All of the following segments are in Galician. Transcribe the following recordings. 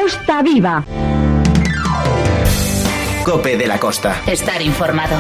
Costa Viva. COPE de la Costa. Estar informado.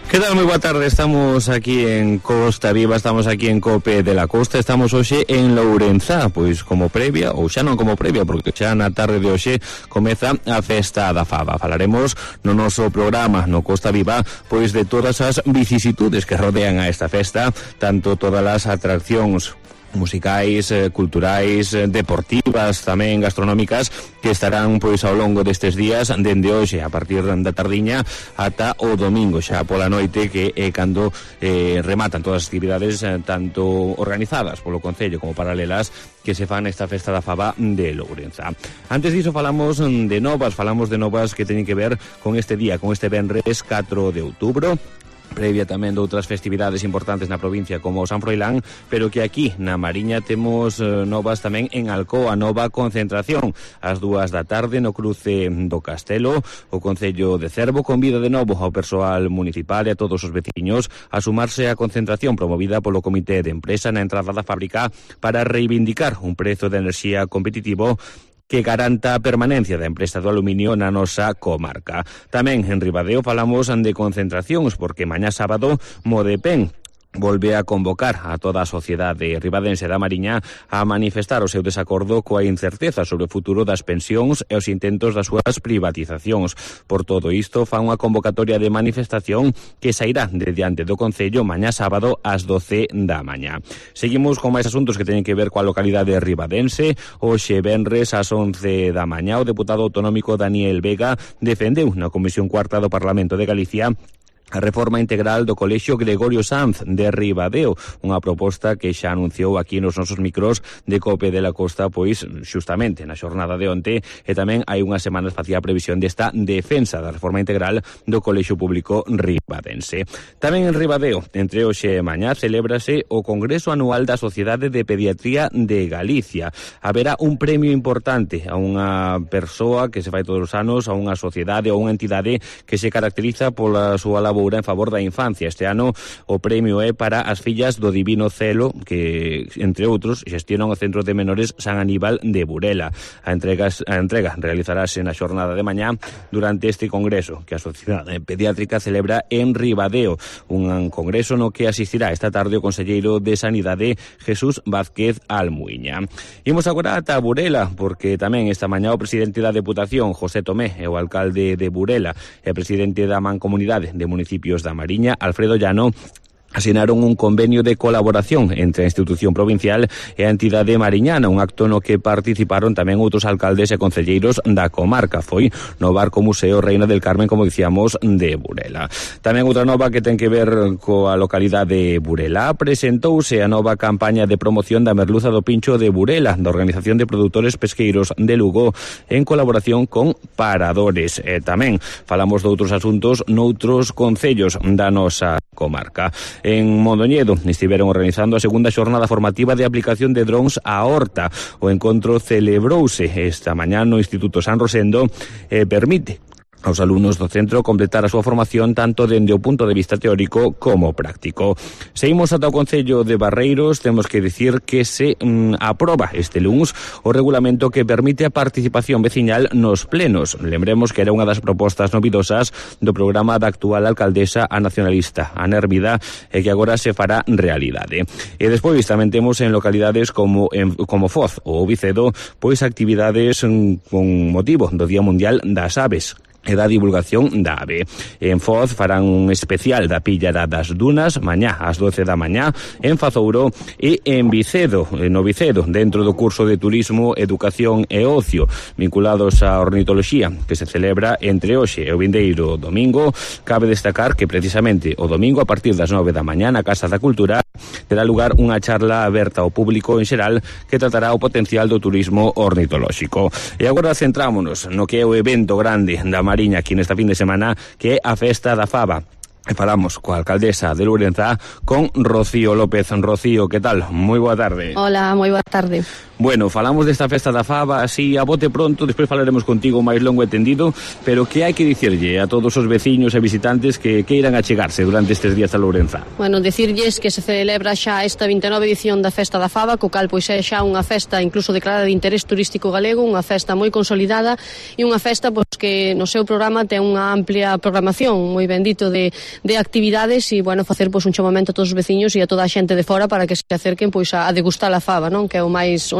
Que tal? Moi boa tarde, estamos aquí en Costa Viva, estamos aquí en COPE de la Costa, estamos hoxe en Lourenzá, pois como previa, ou xa non como previa, porque xa na tarde de hoxe comeza a Festa da Faba. Falaremos no noso programa, no Costa Viva, pois de todas as vicisitudes que rodean a esta festa, tanto todas as atraccións musicais, culturais, deportivas, tamén gastronómicas, que estarán pois ao longo destes días, dende hoxe a partir da tardiña ata o domingo xa pola noite, que é cando rematan todas as actividades tanto organizadas polo Concello como paralelas que se fan esta Festa da Faba de Lourenzá. Antes diso falamos de novas que teñen que ver con este día, con este venres 4 de outubro, previa tamén de outras festividades importantes na provincia como o San Froilán, pero que aquí na Mariña temos novas tamén en Alcoa, nova concentración ás 2 da tarde no cruce do Castelo. O Concello de Cervo convida de novo ao persoal municipal e a todos os veciños a sumarse á concentración promovida polo Comité de Empresa na entrada da fábrica para reivindicar un prezo de enerxía competitivo que garanta a permanencia da empresa do aluminio na nosa comarca. Tamén en Ribadeo falamos de concentracións, porque mañá sábado Modepen volve a convocar a toda a sociedade ribadense da Mariña a manifestar o seu desacordo coa incerteza sobre o futuro das pensións e os intentos das súas privatizacións. Por todo isto, fan unha convocatoria de manifestación que sairá de diante do Concello mañá sábado ás 12 da mañá. Seguimos con máis asuntos que teñen que ver coa localidade ribadense. Hoxe venres ás 11 da mañá o deputado autonómico Daniel Vega defendeu na Comisión Cuarta do Parlamento de Galicia a reforma integral do Colexio Gregorio Sanz de Ribadeo, unha proposta que xa anunciou aquí nos nosos micros de COPE de la Costa, pois xustamente na xornada de onte, e tamén hai unhas semanas facía a previsión desta defensa da reforma integral do Colexio Público Ribadense. Tamén en Ribadeo, entre hoxe e mañá, celébrase o Congreso Anual da Sociedade de Pediatría de Galicia. Haberá un premio importante a unha persoa que se fai todos os anos, a unha sociedade ou unha entidade que se caracteriza pola súa labor en favor da infancia. Este ano o premio é para as fillas do Divino Celo, que, entre outros, xestionan o Centro de Menores San Aníbal de Burela. A entrega realizarase na xornada de mañá durante este congreso que a Sociedade Pediátrica celebra en Ribadeo, un congreso no que asistirá esta tarde o conselleiro de Sanidade Jesús Vázquez Almuiña. Imos agora ata Burela, porque tamén esta mañá o presidente da Deputación, José Tomé, e o alcalde de Burela e o presidente da Mancomunidade de Municipios da Mariña, Alfredo Llano, asinaron un convenio de colaboración entre a institución provincial e a entidade mariñana, un acto no que participaron tamén outros alcaldes e concelleiros da comarca. Foi no Barco Museo Reina del Carmen, como dicíamos, de Burela. Tamén outra nova que ten que ver coa localidade de Burela. Presentouse a nova campaña de promoción da merluza do pincho de Burela, da Organización de Produtores Pesqueiros de Lugo, en colaboración con Paradores. Tamén falamos de outros asuntos noutros concellos da nosa comarca. En Mondoñedo estiveron organizando a segunda xornada formativa de aplicación de drons á horta. O encontro celebrouse esta mañá no Instituto San Rosendo e permite aos alumnos do centro completar a súa formación tanto dende o punto de vista teórico como práctico. Seguimos ata o Concello de Barreiros. Temos que dicir que se aproba este luns o regulamento que permite a participación veciñal nos plenos. Lembremos que era unha das propostas novidosas do programa da actual alcaldesa a nacionalista Ana Hermida, e que agora se fará realidade. E despois tamén temos en localidades como Foz ou Vicedo pois actividades con motivo do Día Mundial das Aves e da divulgación da ave. En Foz farán un especial da Pillara das Dunas mañá ás 12 da mañá, en Fazouro e en Vicedo, no Vicedo, dentro do curso de Turismo, Educación e Ocio vinculados á ornitoloxía que se celebra entre hoxe e o vindeiro domingo. Cabe destacar que precisamente o domingo a partir das 9 da mañá na Casa da Cultura terá lugar unha charla aberta ao público en xeral que tratará o potencial do turismo ornitolóxico. E agora centrámonos no que é o evento grande da Mariña aquí nesta fin de semana, que é a Festa da Faba. E falamos coa alcaldesa de Lourenzá, con Rocío López. Rocío, que tal? Moi boa tarde. Hola, moi boa tarde. Bueno, falamos desta festa da fava así a bote pronto, despois falaremos contigo máis longo e tendido, pero que hai que dicirlle a todos os veciños e visitantes que queiran achegarse durante estes días a Lourenzá? Bueno, dicirlles que se celebra xa esta 29 edición da Festa da Fava, co cal pois é xa unha festa incluso declarada de interés turístico galego, unha festa moi consolidada e unha festa pois que no seu programa ten unha amplia programación, moi bendito de actividades e, bueno, facer pois un chamamento a todos os veciños e a toda a xente de fora para que se acerquen pois a degustar a fava, non? Que é o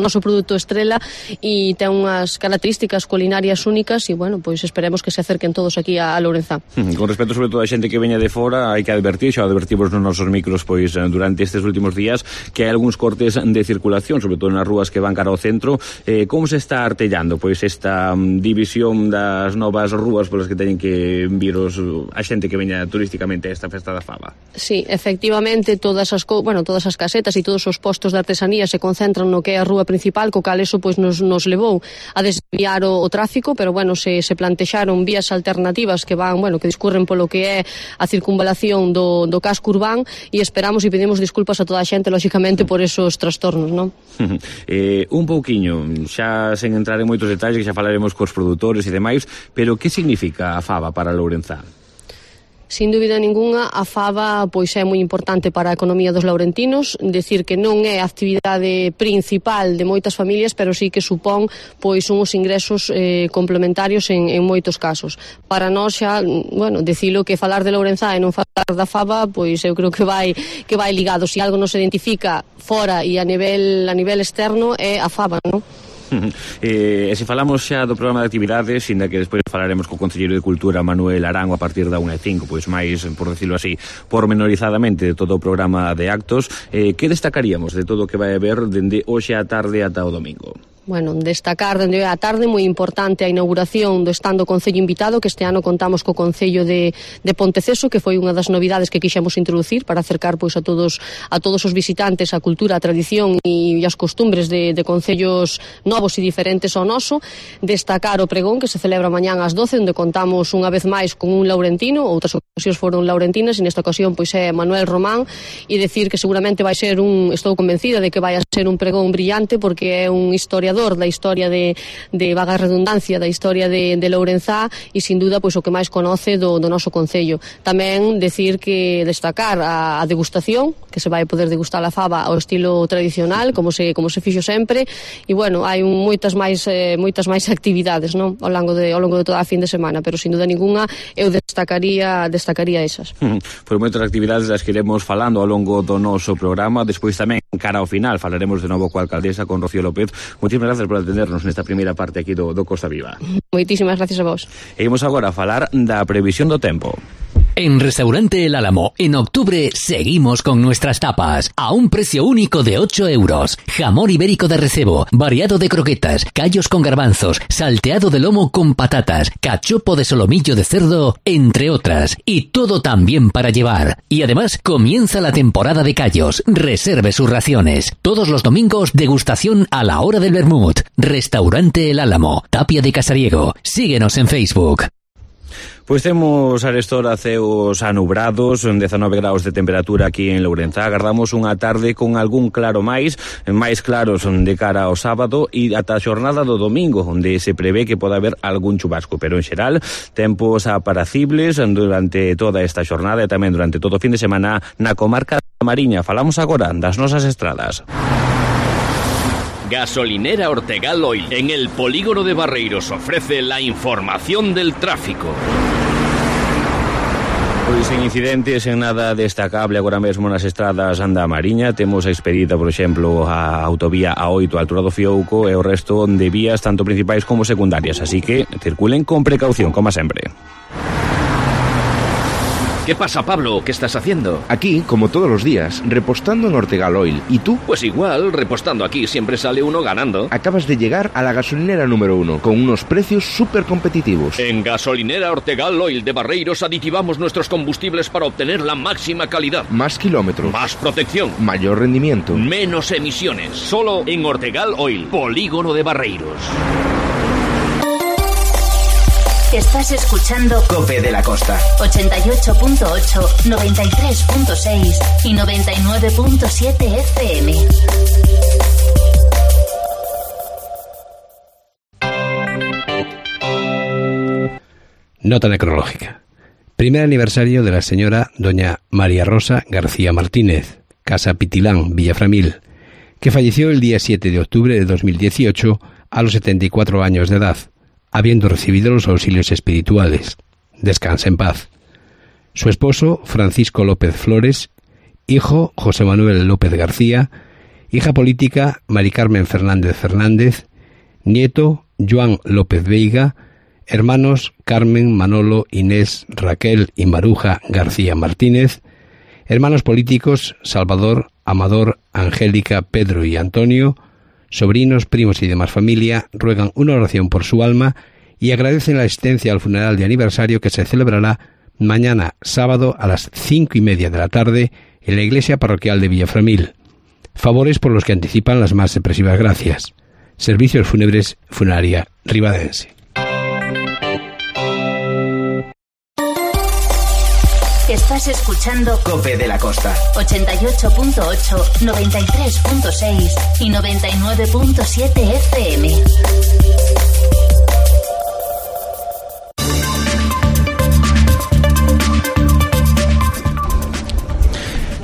noso produto estrela e ten unhas características culinarias únicas e, bueno, pois esperemos que se acerquen todos aquí a Lourenzá. Con respecto sobre todo a xente que veña de fora, hai que advertir, xa advertimos nos nosos micros pois durante estes últimos días, que hai algúns cortes de circulación, sobre todo nas rúas que van cara ao centro. Como se está artellando pois esta división das novas rúas polas que teñen que vir a xente que veña turísticamente a esta festa da fava? Sí, efectivamente, todas as casetas e todos os postos de artesanía se concentran no que é a rúa principal, co cal eso pois nos levou a desviar o tráfico, pero bueno, se plantexaron vías alternativas que van, bueno, que discurren polo que é a circunvalación do casco urbán e esperamos e pedimos disculpas a toda a xente, lóxicamente, por esos trastornos, non? Un pouquiño, xa sen entrar en moitos detalles, que xa falaremos cos produtores e demais, pero que significa a fava para Lourenzá? Sin dúbida ninguna, a fava pois é moi importante para a economía dos laurentinos, decir que non é a actividade principal de moitas familias, pero sí que supón pois uns ingresos complementarios en moitos casos. Para nós xa, bueno, dicilo que falar de Lourenzá e non falar da fava, pois eu creo que vai ligado. Se algo nos identifica fora e a nivel externo é a fava, non? E se falamos xa do programa de actividades, inda que despois falaremos co Concelleiro de Cultura Manuel Arango a partir da 1:05, pois máis, por decirlo así, pormenorizadamente de todo o programa de actos, que destacaríamos de todo o que vai haber dende hoxe á tarde ata o domingo? Bueno, destacar dende a tarde moi importante a inauguración do stand do Concello invitado, que este ano contamos co Concello de Ponteceso, que foi unha das novidades que quixemos introducir para acercar pois a todos os visitantes a cultura, a tradición e as costumbres de concellos novos e diferentes ao noso. Destacar o pregón que se celebra mañán ás 12, onde contamos unha vez máis con un laurentino, outras ocasións foron laurentinas e nesta ocasión pois é Manuel Román, e decir que seguramente vai ser estou convencida de que vai a ser un pregón brillante, porque é un historiador da historia de vaga redundancia, da historia de Lourenzá e sin duda pois o que máis conoce do noso concello. Tamén destacar a degustación, que se vai poder degustar a fava ao estilo tradicional, como se fixo sempre, e bueno, hai moitas máis actividades, non? Ao longo de toda a fin de semana, pero sin duda ninguna eu destacaría esas. Pois moitas actividades das que iremos falando ao longo do noso programa. Despois tamén, cara ao final, falaremos de novo coa alcaldesa, con Rocío López. Moitísimas gracias por atendernos nesta primeira parte aquí do Costa Viva. Moitísimas gracias a vos. E imos agora a falar da previsión do tempo. En Restaurante El Álamo, en octubre, seguimos con nuestras tapas. A un precio único de 8 euros. Jamón ibérico de recebo, variado de croquetas, callos con garbanzos, salteado de lomo con patatas, cachopo de solomillo de cerdo, entre otras. Y todo también para llevar. Y además, comienza la temporada de callos. Reserve sus raciones. Todos los domingos, degustación a la hora del vermut. Restaurante El Álamo, Tapia de Casariego. Síguenos en Facebook. Pois temos arestora ceos anubrados, 19 graus de temperatura aquí en Lourenzá. Agardamos unha tarde con algún claro máis claros de cara ao sábado e ata a xornada do domingo, onde se prevé que poda haber algún chubasco, pero en xeral tempos apacibles durante toda esta xornada e tamén durante todo o fin de semana na comarca da Mariña. Falamos agora das nosas estradas. Gasolinera Ortegal Oil, en el polígono de Barreiros, ofrece la información del tráfico. Pois sen incidentes, en nada destacable agora mesmo nas estradas da Mariña. Temos expedida, por exemplo, a autovía A8 a altura do Fiouco e o resto de vías tanto principais como secundarias, así que circulen con precaución, como sempre. ¿Qué pasa, Pablo? ¿Qué estás haciendo? Aquí, como todos los días, repostando en Ortegal Oil. ¿Y tú? Pues igual, repostando aquí siempre sale uno ganando. Acabas de llegar a la gasolinera número 1, con unos precios súper competitivos. En Gasolinera Ortegal Oil de Barreiros aditivamos nuestros combustibles para obtener la máxima calidad. Más kilómetros. Más protección. Mayor rendimiento. Menos emisiones. Solo en Ortegal Oil, polígono de Barreiros. Estás escuchando COPE de la Costa 88.8, 93.6 y 99.7 FM. Nota necrológica. Primer aniversario de la señora doña María Rosa García Martínez, Casa Pitilán, Villaframil, que falleció el día 7 de octubre de 2018 a los 74 años de edad, habiendo recibido los auxilios espirituales. Descansa en paz. Su esposo, Francisco López Flores, hijo, José Manuel López García, hija política, Mari Carmen Fernández Fernández, nieto, Joan López Veiga, hermanos, Carmen, Manolo, Inés, Raquel y Maruja García Martínez, hermanos políticos, Salvador, Amador, Angélica, Pedro y Antonio, sobrinos, primos y demás familia, ruegan una oración por su alma y agradecen la asistencia al funeral de aniversario que se celebrará mañana sábado a las 5:30 de la tarde en la iglesia parroquial de Villaframil. Favores por los que anticipan las más expresivas gracias. Servicios fúnebres, Funeraria Ribadense. Estás escuchando COPE de la Costa. 88.8, 93.6 y 99.7 FM.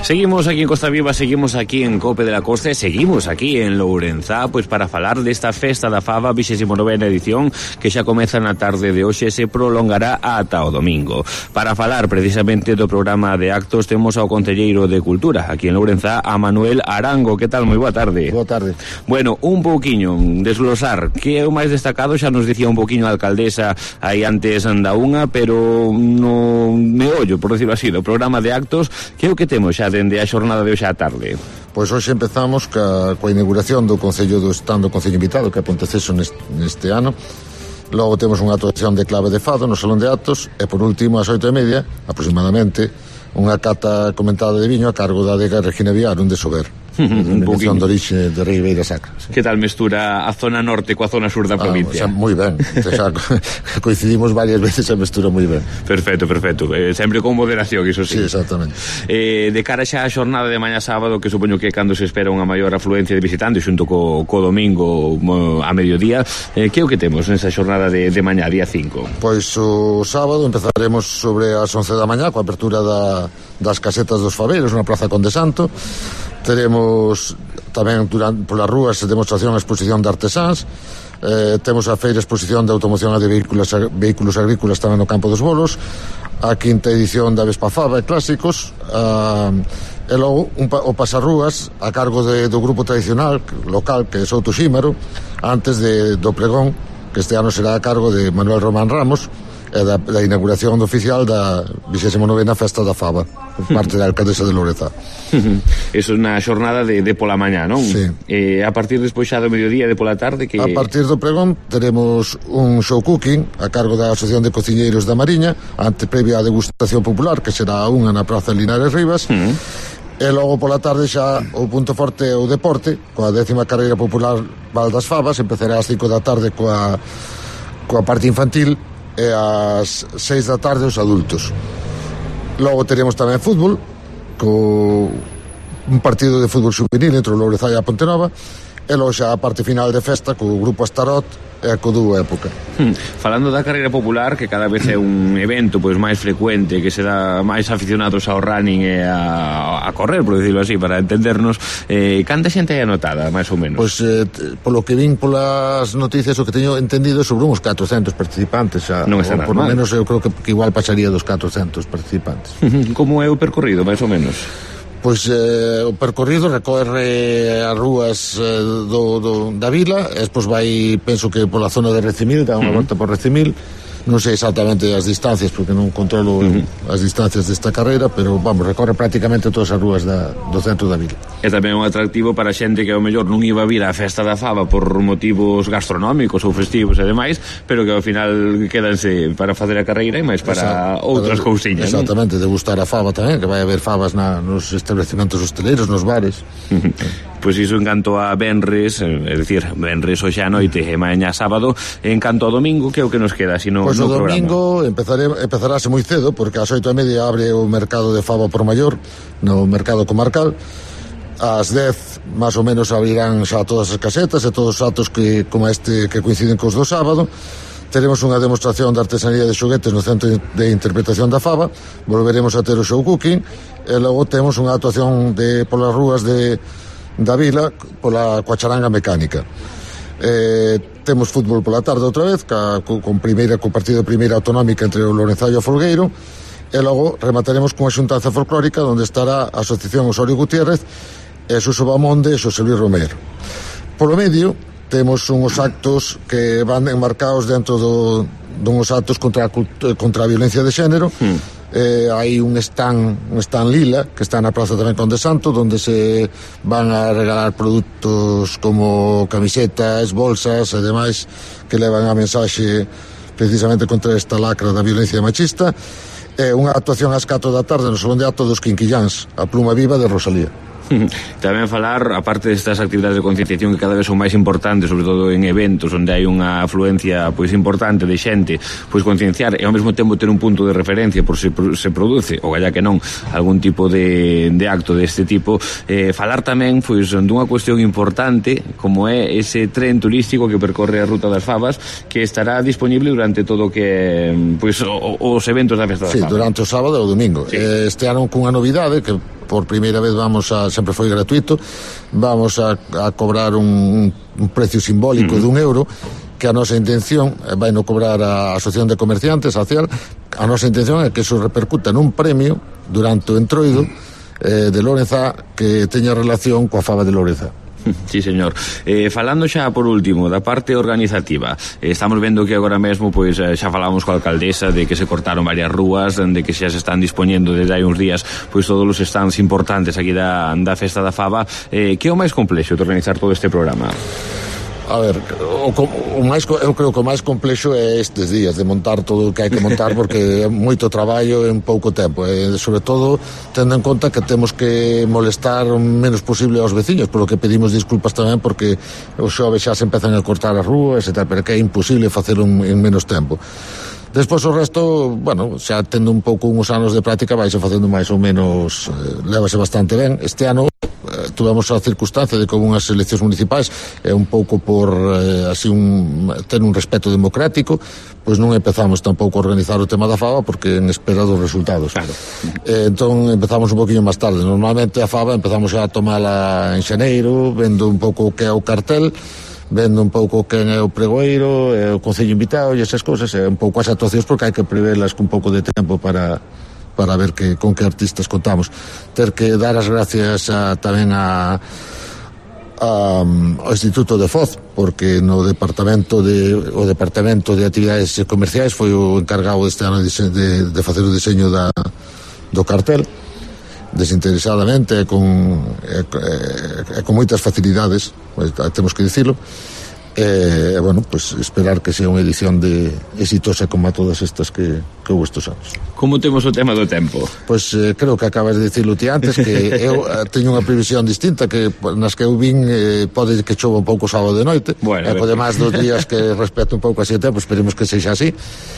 Seguimos aquí en Costa Viva, seguimos aquí en Cope de la Costa e seguimos aquí en Lourenzá, pois para falar desta Festa da Faba, 29ª edición, que xa comeza na tarde de hoxe e se prolongará ata o domingo. Para falar precisamente do programa de actos temos ao concelleiro de Cultura aquí en Lourenzá, a Manuel Arango. Que tal? Moi boa tarde. Boa tarde. Bueno, un pouquiño, desglosar, que é o máis destacado, xa nos dicía un pouquiño a alcaldesa aí antes da unha, pero no meollo, por decirlo así, do programa de actos, que é o que temos xa dende a xornada de hoxe á tarde? Pois hoxe empezamos coa inauguración do Concello do Stand do Concello Invitado, que é Ponteceso neste ano. Logo temos unha actuación de clave de fado no Salón de Actos e por último ás 8:30 aproximadamente unha cata comentada de viño a cargo da adega Regina Viar, un de Sober. Denominación de orixe de Ribeira Sacra. Que tal mestura a zona norte coa zona sur da provincia? Moi ben, xa coincidimos varias veces e mestura moi ben. Perfecto, perfecto, sempre con moderación, iso sí. Sí, exactamente. De cara xa a xornada de mañá sábado, que supoño que cando se espera unha maior afluencia de visitantes xunto co domingo a mediodía, que é o que temos nesa xornada de mañá, día 5? Pois o sábado empezaremos sobre as 11 da mañá coa apertura das casetas dos Fabeiros na Praza Conde Santo. Teremos tamén polas rúas demostración e exposición de artesáns, temos a feira exposición de automoción de vehículos agrícolas tamén no Campo dos Bolos, a quinta edición da Vespa Faba e clásicos, e logo o pasarrúas a cargo do grupo tradicional local que é Souto Xímaro, antes do pregón, que este ano será a cargo de Manuel Román Ramos, e da inauguración oficial da 29ª Festa da Faba por parte da alcaldesa de Lourenzá. Eso na xornada de pola mañá, non? Sí. A partir despois xa do mediodía de pola tarde que... A partir do pregón teremos un show cooking a cargo da Asociación de Cociñeiros da Mariña, ante previa a degustación popular que será a unha na Praza Linares Rivas. E logo pola tarde xa o punto forte é o deporte, coa 10ª carreira popular Val das Favas. Empezará ás 5 da tarde coa parte infantil e ás 6 da tarde os adultos. Logo teremos tamén fútbol, un partido de fútbol juvenil entre o Lourenzá e a Pontenova, e logo xa a parte final de festa co grupo Astarot e co dúo Época. Falando da carreira popular, que cada vez é un evento pois máis frecuente, que se dá máis aficionados ao running e a correr, por decirlo así, para entendernos, canta xente hai anotada, máis ou menos? Pois, polo que vin polas noticias, o que teño entendido sobre uns 400 participantes xa, non está nada por lo mal. menos eu creo que igual pasaría dos 400 participantes. Como é o percorrido, máis ou menos? Pois o percorrido recorre as rúas da vila, e despois vai, penso que pola zona de Recimil, dá unha volta por Recimil. Non sei exactamente as distancias porque non controlo as distancias desta carreira, pero vamos, recorre prácticamente todas as rúas do centro da vila. É tamén un atractivo para xente que ao mellor non iba a vir á Festa da Faba por motivos gastronómicos ou festivos e demais, pero que ao final quedanse para facer a carreira e máis para outras cousiñas. Exactamente, degustar a fava tamén, que vai haber favas nos establecimentos hosteleiros, nos bares. Pois iso en canto a venres, é dicir, venres hoxe a noite e mañá sábado. En canto ao domingo, que é o que nos queda? Pois o domingo empezarase moi cedo, porque ás 8:30 abre o mercado de fava por maior no mercado comarcal. Ás 10 máis ou menos abrirán xa todas as casetas e todos os atos que como este que coinciden cos do sábado. Teremos unha demostración de artesanía de xoguetes no Centro de Interpretación da Faba, volveremos a ter o show cooking, e logo temos unha actuación polas rúas da vila coa charanga mecánica. Temos fútbol pola tarde outra vez, co partido de primeira autonómica entre o Lourenzá e o Folgueiro, e logo remataremos cunha xuntanza folclórica onde estará a Asociación Osorio Gutiérrez e Suso Bamonde e Xosé Luis Romero. Polo medio temos unhos actos que van enmarcados dentro dunhos actos contra a violencia de xénero. Hai un stand lila que está na Praza tamén Conde Santo, donde se van a regalar produtos como camisetas, bolsas e demais que levan a mensaxe precisamente contra esta lacra da violencia machista. Unha actuación ás 4 da tarde no Salón de Acto dos Quinquillans, a Pluma Viva de Rosalía. Tamén falar, aparte destas actividades de concienciación que cada vez son máis importantes, sobre todo en eventos onde hai unha afluencia pois importante de xente, pois concienciar e ao mesmo tempo ter un punto de referencia por se produce, ou galla que non, algún tipo de acto deste tipo. Falar tamén pois dunha cuestión importante como é ese tren turístico que percorre a Ruta das Favas, que estará disponible durante todo o que pois os eventos da Festa das Favas. Sí, durante o sábado e o domingo. Sí. Este ano cunha novidade que por primeira vez sempre foi gratuito, vamos a cobrar un precio simbólico de €1, que a nosa intención vai no cobrar a Asociación de Comerciantes, a CEAL. A nosa intención é que eso repercuta nun premio durante o entroido de Lourenzá que teña relación coa fava de Lourenzá. Sí, señor. Falando xa por último da parte organizativa, estamos vendo que agora mesmo pois xa falamos coa alcaldesa de que se cortaron varias rúas, de que xa se están dispoñendo desde hai uns días pois todos os stands importantes aquí da Festa da Fava. Que é o máis complexo de organizar todo este programa? A ver, eu creo que o máis complexo é estes días de montar todo o que hai que montar, porque é moito traballo en pouco tempo, e sobre todo tendo en conta que temos que molestar o menos posible aos veciños, polo que pedimos disculpas tamén porque os xoves xa se empezan a cortar as rúas e tal, pero que é imposible facelo en menos tempo. Despois o resto, bueno, xa tendo un pouco uns anos de práctica vaise facendo máis ou menos, lévase bastante ben. Este ano tuvemos a circunstancia de que houve unhas eleccións municipais e un pouco por así ter un respeto democrático, pois non empezamos tampouco a organizar o tema da fava porque en espera dos resultados. Claro. Entón empezamos un poquinho máis tarde. Normalmente a fava empezamos a tomala en xaneiro, vendo un pouco o que é o cartel, vendo un pouco quen é o pregoeiro, o concello invitado e esas cousas, e un pouco as actuacións porque hai que prevelas con un pouco de tempo para ver con que artistas contamos. Ter que dar as gracias tamén ao Instituto de Foz, porque o Departamento de Actividades Comerciais foi o encargado este ano de facer o diseño do cartel desinteresadamente e con moitas facilidades, temos que dicilo. Bueno, pues esperar que sea unha edición exitosa como a todas estas que houve estes anos. Como temos o tema do tempo? Pois creo que acabas de dicirlo ti antes, que eu teño unha previsión distinta, que nas que eu vin pode que chova un pouco sábado de noite, e pode máis dos días que respecto un pouco así o tempo, esperemos que sexa así,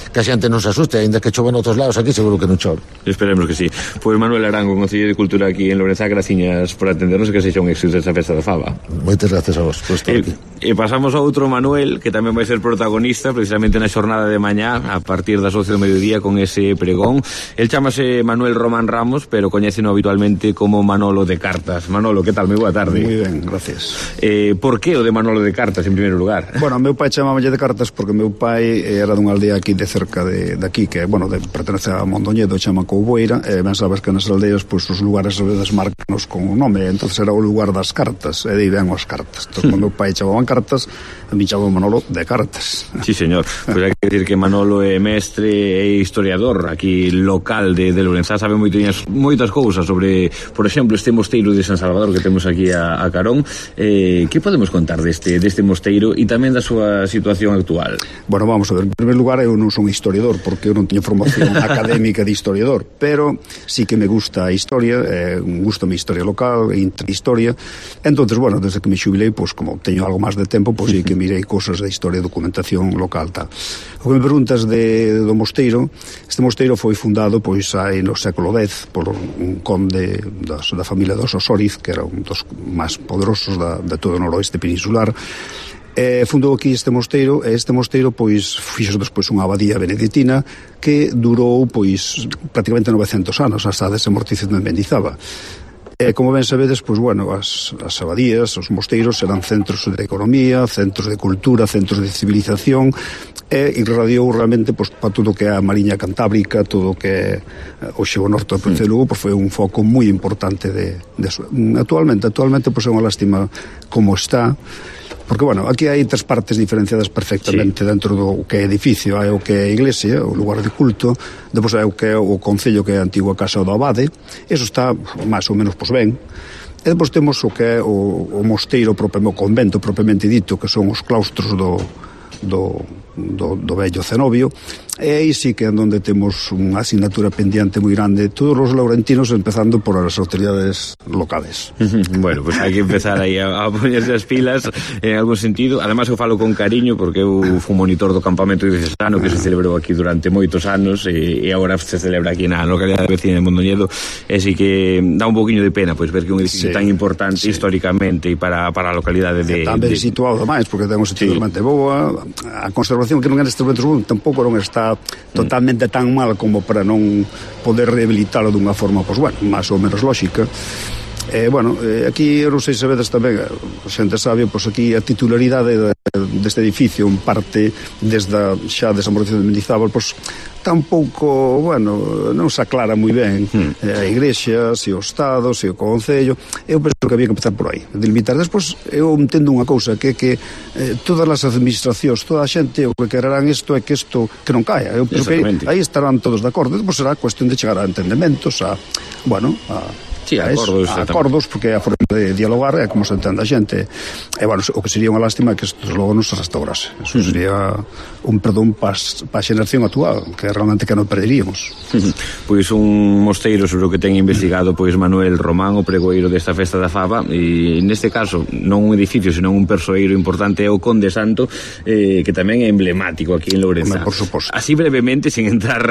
que a xente non se asuste, aínda que chova noutros lados, aquí seguro que non chove. Esperemos que sí. Pois Manuel Arango, Concelleiro de Cultura aquí en Lourenzá, graciñas por atendernos e que sexa un éxito esta Festa da Fava. Moitas gracias a vos por estar aquí. E pasamos ao outro Manuel, que tamén vai ser protagonista precisamente na xornada de mañá a partir das 12 do mediodía con ese pregón. El chámase Manuel Román Ramos, pero coñéceno habitualmente como Manolo de Cartas. Manolo, que tal? Moi boa tarde. Moi ben, gracias. Por que o de Manolo de Cartas en primeiro lugar? Bueno, meu pai chamáballe de Cartas porque meu pai era dunha aldea aquí de cerca de aquí, que, bueno, pertenece a Mondoñedo, chama Couboeira, e ben sabes que nas aldeas, pois, os lugares a veces marcanos con un nome, entonces era o lugar das cartas, e de aí ven as cartas. Entón, cando meu pai chamaban Cartas, a mí chamaba Manolo de Cartas. Sí, señor. Pois hai que decir que Manolo é mestre e historiador aquí local de Lourenzá, sabe moitas cousas sobre, por exemplo, este mosteiro de San Salvador que temos aquí a carón. Que podemos contar deste mosteiro e tamén da súa situación actual? Bueno, vamos a ver, en primer lugar eu non son historiador porque eu non teño formación académica de historiador, pero sí que me gusta a historia, gusta a historia local e interhistoria. Entonces, bueno, desde que me xubilei, pois como teño algo máis de tempo, pois sí que mirei cosas de historia, documentación local, tal. O que me preguntas do mosteiro, este mosteiro foi fundado pois aí no século X por un conde da familia dos Osóriz, que era un dos máis poderosos de todo o noroeste peninsular, Fundou aquí este mosteiro, e este mosteiro pois fixo despois unha abadía beneditina que durou pois prácticamente 900 anos hasta a desamortización de Mendizábal. Como ben sabedes, pois, bueno, as abadías, os mosteiros eran centros de economía, centros de cultura, centros de civilización, e irradiou realmente pois, para todo o que é a Mariña Cantábrica, todo o que é o xeo norte do Provincia de Lugo, pois foi un foco moi importante de actualmente pois é unha lástima como está, porque, bueno, aquí hai tres partes diferenciadas perfectamente dentro do que é edificio. Hai o que é a iglesia, o lugar de culto, depois hai o que é o concello, que é a antigua casa do abade, eso está máis ou menos pois ben, e depois temos o que é o mosteiro, o convento propiamente dito, que son os claustros do vello cenobio, e aí sí que é onde temos unha asignatura pendiente moi grande, todos os laurentinos, empezando por as autoridades locales. Bueno, pues hai que empezar aí a poñerse as pilas en algún sentido. Además eu falo con cariño porque eu fui monitor do campamento diocesano que se celebrou aquí durante moitos anos, e agora se celebra aquí na localidade vecina de Mondoñedo, e sí que dá un poquinho de pena pois ver que un edificio tan importante históricamente e para a localidade tamén situado máis, porque ten un sentido realmente boa, a conservación que non é neste momento tampouco non está totalmente tan mal como para non poder rehabilitalo dunha forma, pois, bueno, máis ou menos lógica. Aquí, eu non sei se sabedes tamén, a xente sabe, pois aquí a titularidade deste edificio en parte desde xa a desamortización de Mendizábal, pois tampouco, bueno, non se aclara moi ben a igrexa, se o Estado, se o Concello. Eu penso que había que empezar por aí, delimitar. Despois eu entendo unha cousa, que todas as administracións, toda a xente o que quererán isto é que isto que non caia. Eu penso que aí estarán todos de acordo. Despois será cuestión de chegar a entendementos, acordos, porque é a forma de dialogar, é como se entende a xente. E, bueno, o que sería unha lástima é que isto logo non se restaurase. Eso sería un perdón para a xeración actual, que realmente que non perderíamos. Pois un mosteiro sobre o que ten investigado pois Manuel Román, o pregoeiro desta festa da fava, e neste caso non un edificio, senón un persoeiro importante é o Conde Santo, que tamén é emblemático aquí en Lourenzá. Por suposto. Así brevemente, sin entrar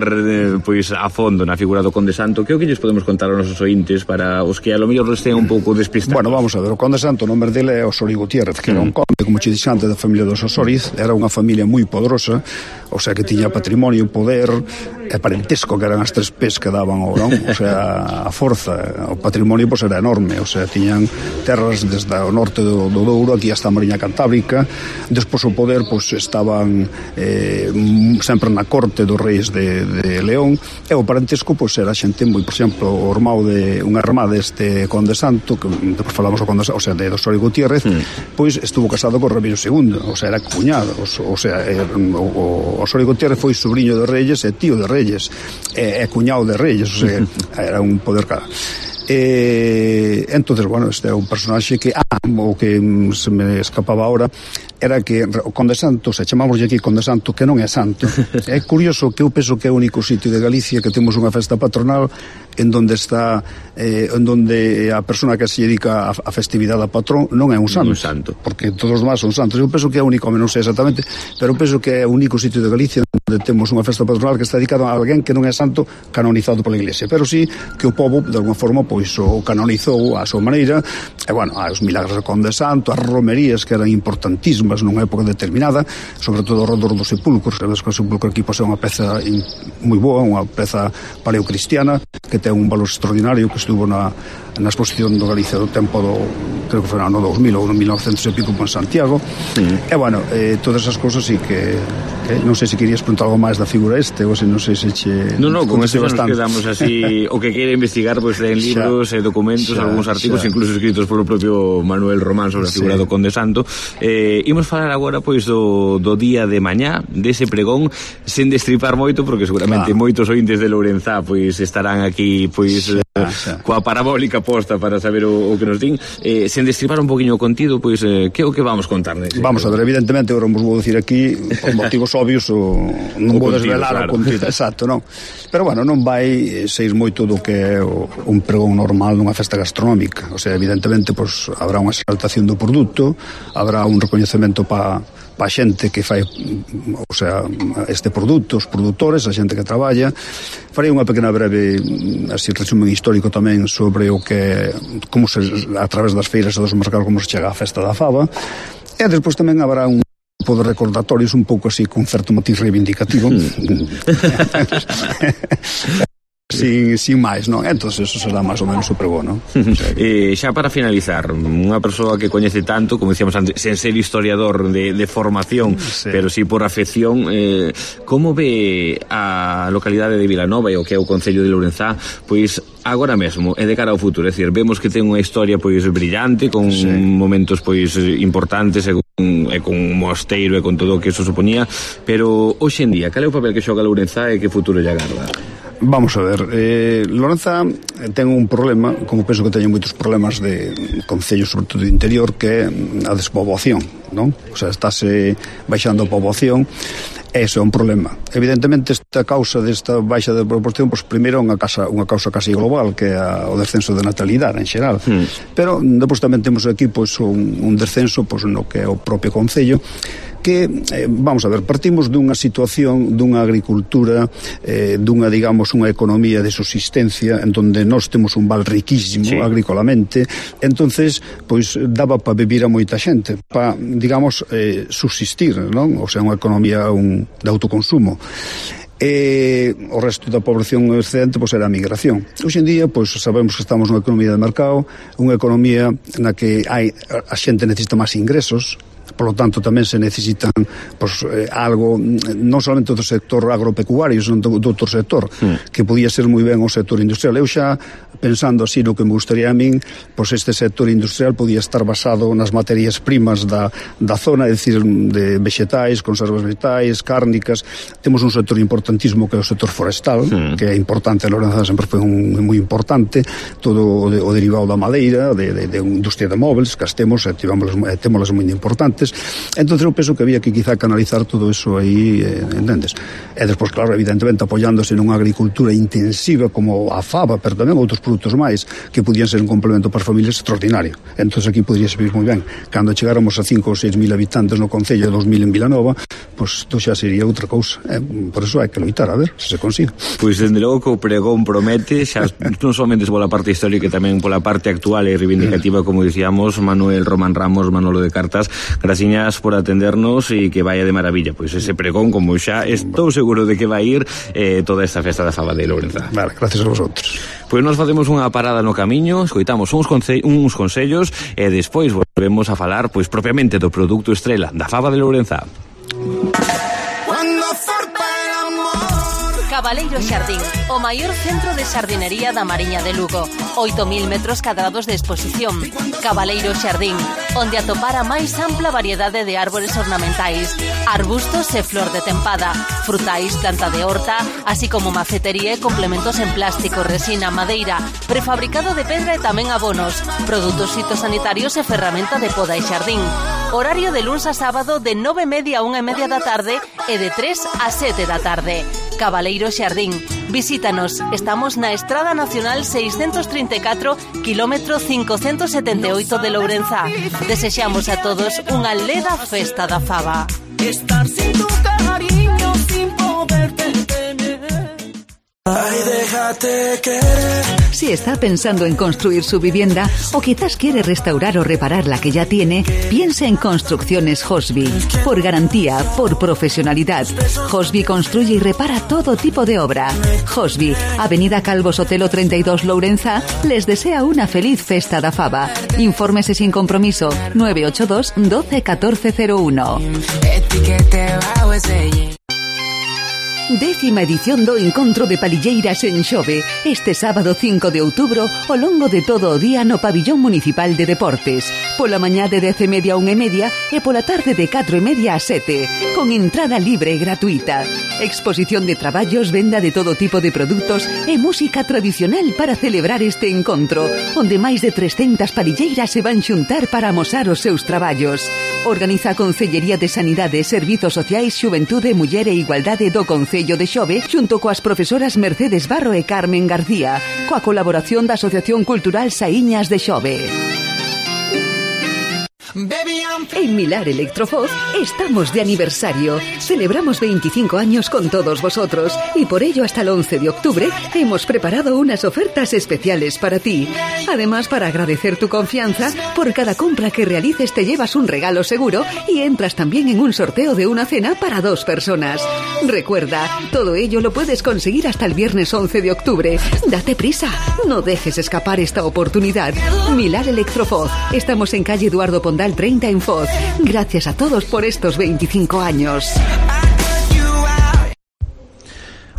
pois a fondo na figura do Conde Santo, que o que lles podemos contar aos nosos ointes para os que a lo mellor estén un pouco despistados? Bueno, vamos a ver, o Conde Santo, o nome dele é Osorio Gutiérrez, que era un conde, como che dixante, da familia dos Osoriz. Era unha familia moi poderosa, o sea, que tiña patrimonio, poder e parentesco, que eran as tres pés que daban o, non? O sea, a forza, o patrimonio pois era enorme, o sea, tiñan terras desde o norte do Douro aquí hasta a Mariña Cantábrica. Despois o poder pois estaban sempre na corte dos reis de León, e o parentesco pois era xente moi, por exemplo, o irmão de unha irmá deste Conde Santo, que depois falamos do Conde Santo, o sea, de Osorio Gutiérrez, pois estuvo casado con Ramiro II, o sea, era cuñado, o sea, o Osorio Gutiérrez foi sobrinho de Reyes e tío de Reyes, e cuñado de Reyes, o sea, era un poder cara. Entonces, bueno, este é un personaxe que o que se me escapaba ahora era que o Conde Santo, se chamamos aquí Conde Santo, que non é santo. É curioso que eu penso que é o único sitio de Galicia que temos unha festa patronal en donde está en donde a persona que se dedica a festividade a patrón non é un santo, porque todos os demás son santos. Eu penso que é o único, non sei exactamente, pero penso que é o único sitio de Galicia onde temos unha festa patronal que está dedicada a alguén que non é santo canonizado pola Iglesia, pero sí que o povo de alguma forma pois o canonizou a súa maneira. E bueno, os milagres do Conde Santo, as romerías que eran importantísimas nunha época determinada, sobre todo ao redor dos sepulcros. Sabes que o sepulcro aquí pois é unha peza moi boa, unha peza paleocristiana que ten un valor extraordinario, que estuvo na exposición do Galicia do tempo do, creo que foi no ano 2000 ou no 1900 e pico en Santiago. E bueno, todas esas cosas sí que non sei se querías preguntar algo máis da figura ou se non sei se che... Non, con eso nos quedamos así, o que quere investigar pois en libros e documentos, algúns artigos incluso escritos polo propio Manuel Román sobre a figura do Conde Santo. Imos falar agora pois do día de mañá, dese pregón, sen destripar moito, porque seguramente moitos ointes de Lourenzá pois estarán aquí pois coa parabólica posta para saber o que nos din, sen destripar un poquinho o contido, pois que é o que vamos contar nese? Vamos a ver, evidentemente agora vos vou dicir aquí por motivos obvios non vou desvelar o contido exacto, non? Pero bueno, non vai ser moito do que é un pregón normal nunha festa gastronómica. O sea, evidentemente pois habrá unha exaltación do produto, habrá un recoñecemento para a xente que fai, o sea, este produto, os produtores, a xente que traballa. Farei unha pequena breve así resumen histórico tamén sobre o que como se, a través das feiras e dos mercados, como se chega á festa da fava. E despois tamén habrá un tipo de recordatorios un pouco así con certo matiz reivindicativo. Sin máis, non? Entón, eso será máis ou menos o pregón, non? Xa para finalizar, unha persoa que coñece tanto, como dicíamos antes, sen ser historiador de formación, sí, pero sí por afección, como ve a localidade de Vilanova e o que é o Concello de Lourenzá, pois agora mesmo e de cara ao futuro? É dicir, vemos que ten unha historia pois brillante, con sí, momentos pois importantes e con un mosteiro e con todo o que eso suponía, pero hoxe en día, cal é o papel que xoga Lourenzá e que futuro lle agarda? Vamos a ver, Lourenzá ten un problema, como penso que teñen moitos problemas de concellos, sobre todo de interior, que é a despoboación, non? O sea, estáse baixando a poboación. Ese é un problema. Evidentemente, esta causa desta baixa de proporción, pois primeiro unha causa casi global, que é o descenso de natalidade en xeral. Pero depois tamén temos aquí pois un descenso pois no que é o propio concello, que, vamos a ver, partimos dunha situación dunha agricultura, dunha, digamos, unha economía de subsistencia en donde nós temos un val riquísimo, sí, agrícolamente. Entonces, pois daba para vivir a moita xente, para, digamos, subsistir, non? O sea, unha economía de autoconsumo. O resto da población excedente pois era a migración. Hoxe en día pois sabemos que estamos nunha economía de mercado, unha economía na que a xente necesita máis ingresos. Por lo tanto, tamén se necesitan pois, algo, non solamente do sector agropecuario, senón do outro sector, que podía ser moi ben o sector industrial. Eu xa, pensando así no que me gustaría a min, pois este sector industrial podía estar basado nas materias primas da zona, é dicir, de vegetais, conservas vegetais, cárnicas. Temos un sector importantísimo que é o sector forestal, que é importante, a Lourenzá sempre foi moi importante, todo o derivado da madeira, de industria de móveis, que as temos, e témolas moi importantes. Entonces eu penso que había que quizá canalizar todo eso aí, entendes? E despois, claro, evidentemente apoiándose nunha agricultura intensiva como a fava, pero tamén outros produtos máis que podían ser un complemento para as familias extraordinario. Entonces aquí podría servir moi ben. Cando chegáramos a 5 ou 6 mil habitantes no Concello, 2.000 en Vilanova, pois isto xa sería outra cousa. Por eso hai que loitar, a ver se se consigue. Pois dende logo que o pregón promete, xa non somente pola parte histórica, tamén pola parte actual e reivindicativa, como dicíamos, Manuel Román Ramos, Manolo de Cartas. Graciñas por atendernos e que vaya de maravilla. Pois ese pregón, como xa estou seguro de que vai ir toda esta festa da fava de Lourenzá. Vale, gracias a vosotros. Pois nos facemos unha parada no camiño, escoitamos uns consellos e despois volvemos a falar pois propiamente do produto estrela da fava de Lourenzá. Cabaleiro Xardín, o maior centro de xardinería da Mariña de Lugo. 8.000 metros cadrados de exposición. Cabaleiro Xardín, onde atopar a máis ampla variedade de árbores ornamentais, arbustos e flor de tempada, frutais, planta de horta, así como macetería e complementos en plástico, resina, madeira, prefabricado de pedra e tamén abonos, produtos fitosanitarios e ferramenta de poda e xardín. Horario de luns a sábado de 9:30 a 1:30 da tarde e de 3 a 7 da tarde. Cabaleiro Xardín. Visítanos. Estamos na Estrada Nacional 634, kilómetro 578 de Lourenzá. Desexamos a todos unha leda festa da fava. Estar sin tu cariño, sin poderte tener. Ay, déjate querer. Si está pensando en construir su vivienda o quizás quiere restaurar o reparar la que ya tiene, piense en Construcciones Hosby. Por garantía, por profesionalidad, Hosby construye y repara todo tipo de obra. Hosby, Avenida Calvo Sotelo 32 Lourenzá, les desea una feliz festa da fava. Infórmese sin compromiso 982 12 1401. 10ª edición do Encontro de Palilleiras en Xove, este sábado 5 de outubro, ao longo de todo o día no Pabillón Municipal de Deportes. Pola mañá de 10:30 a 1:30 e pola tarde de 4:30 a 7, con entrada libre e gratuita. Exposición de traballos, venda de todo tipo de produtos e música tradicional para celebrar este encontro, onde máis de 300 palilleiras se van xuntar para amosar os seus traballos. Organiza a Concellería de Sanidade, Servizos Sociais, Xuventude, Muller e Igualdade do Concello de Xove, xunto coas profesoras Mercedes Barro e Carmen García, coa colaboración da Asociación Cultural Saíñas de Xove. En Milar Electrofoz estamos de aniversario. Celebramos 25 años con todos vosotros y por ello hasta el 11 de octubre hemos preparado unas ofertas especiales para ti. Además, para agradecer tu confianza, por cada compra que realices te llevas un regalo seguro y entras también en un sorteo de una cena para 2 personas. Recuerda, todo ello lo puedes conseguir hasta el viernes 11 de octubre. Date prisa, no dejes escapar esta oportunidad. Milar Electrofoz. Estamos en calle Eduardo Pondal 30 en Foz. Gracias a todos por estos 25 años.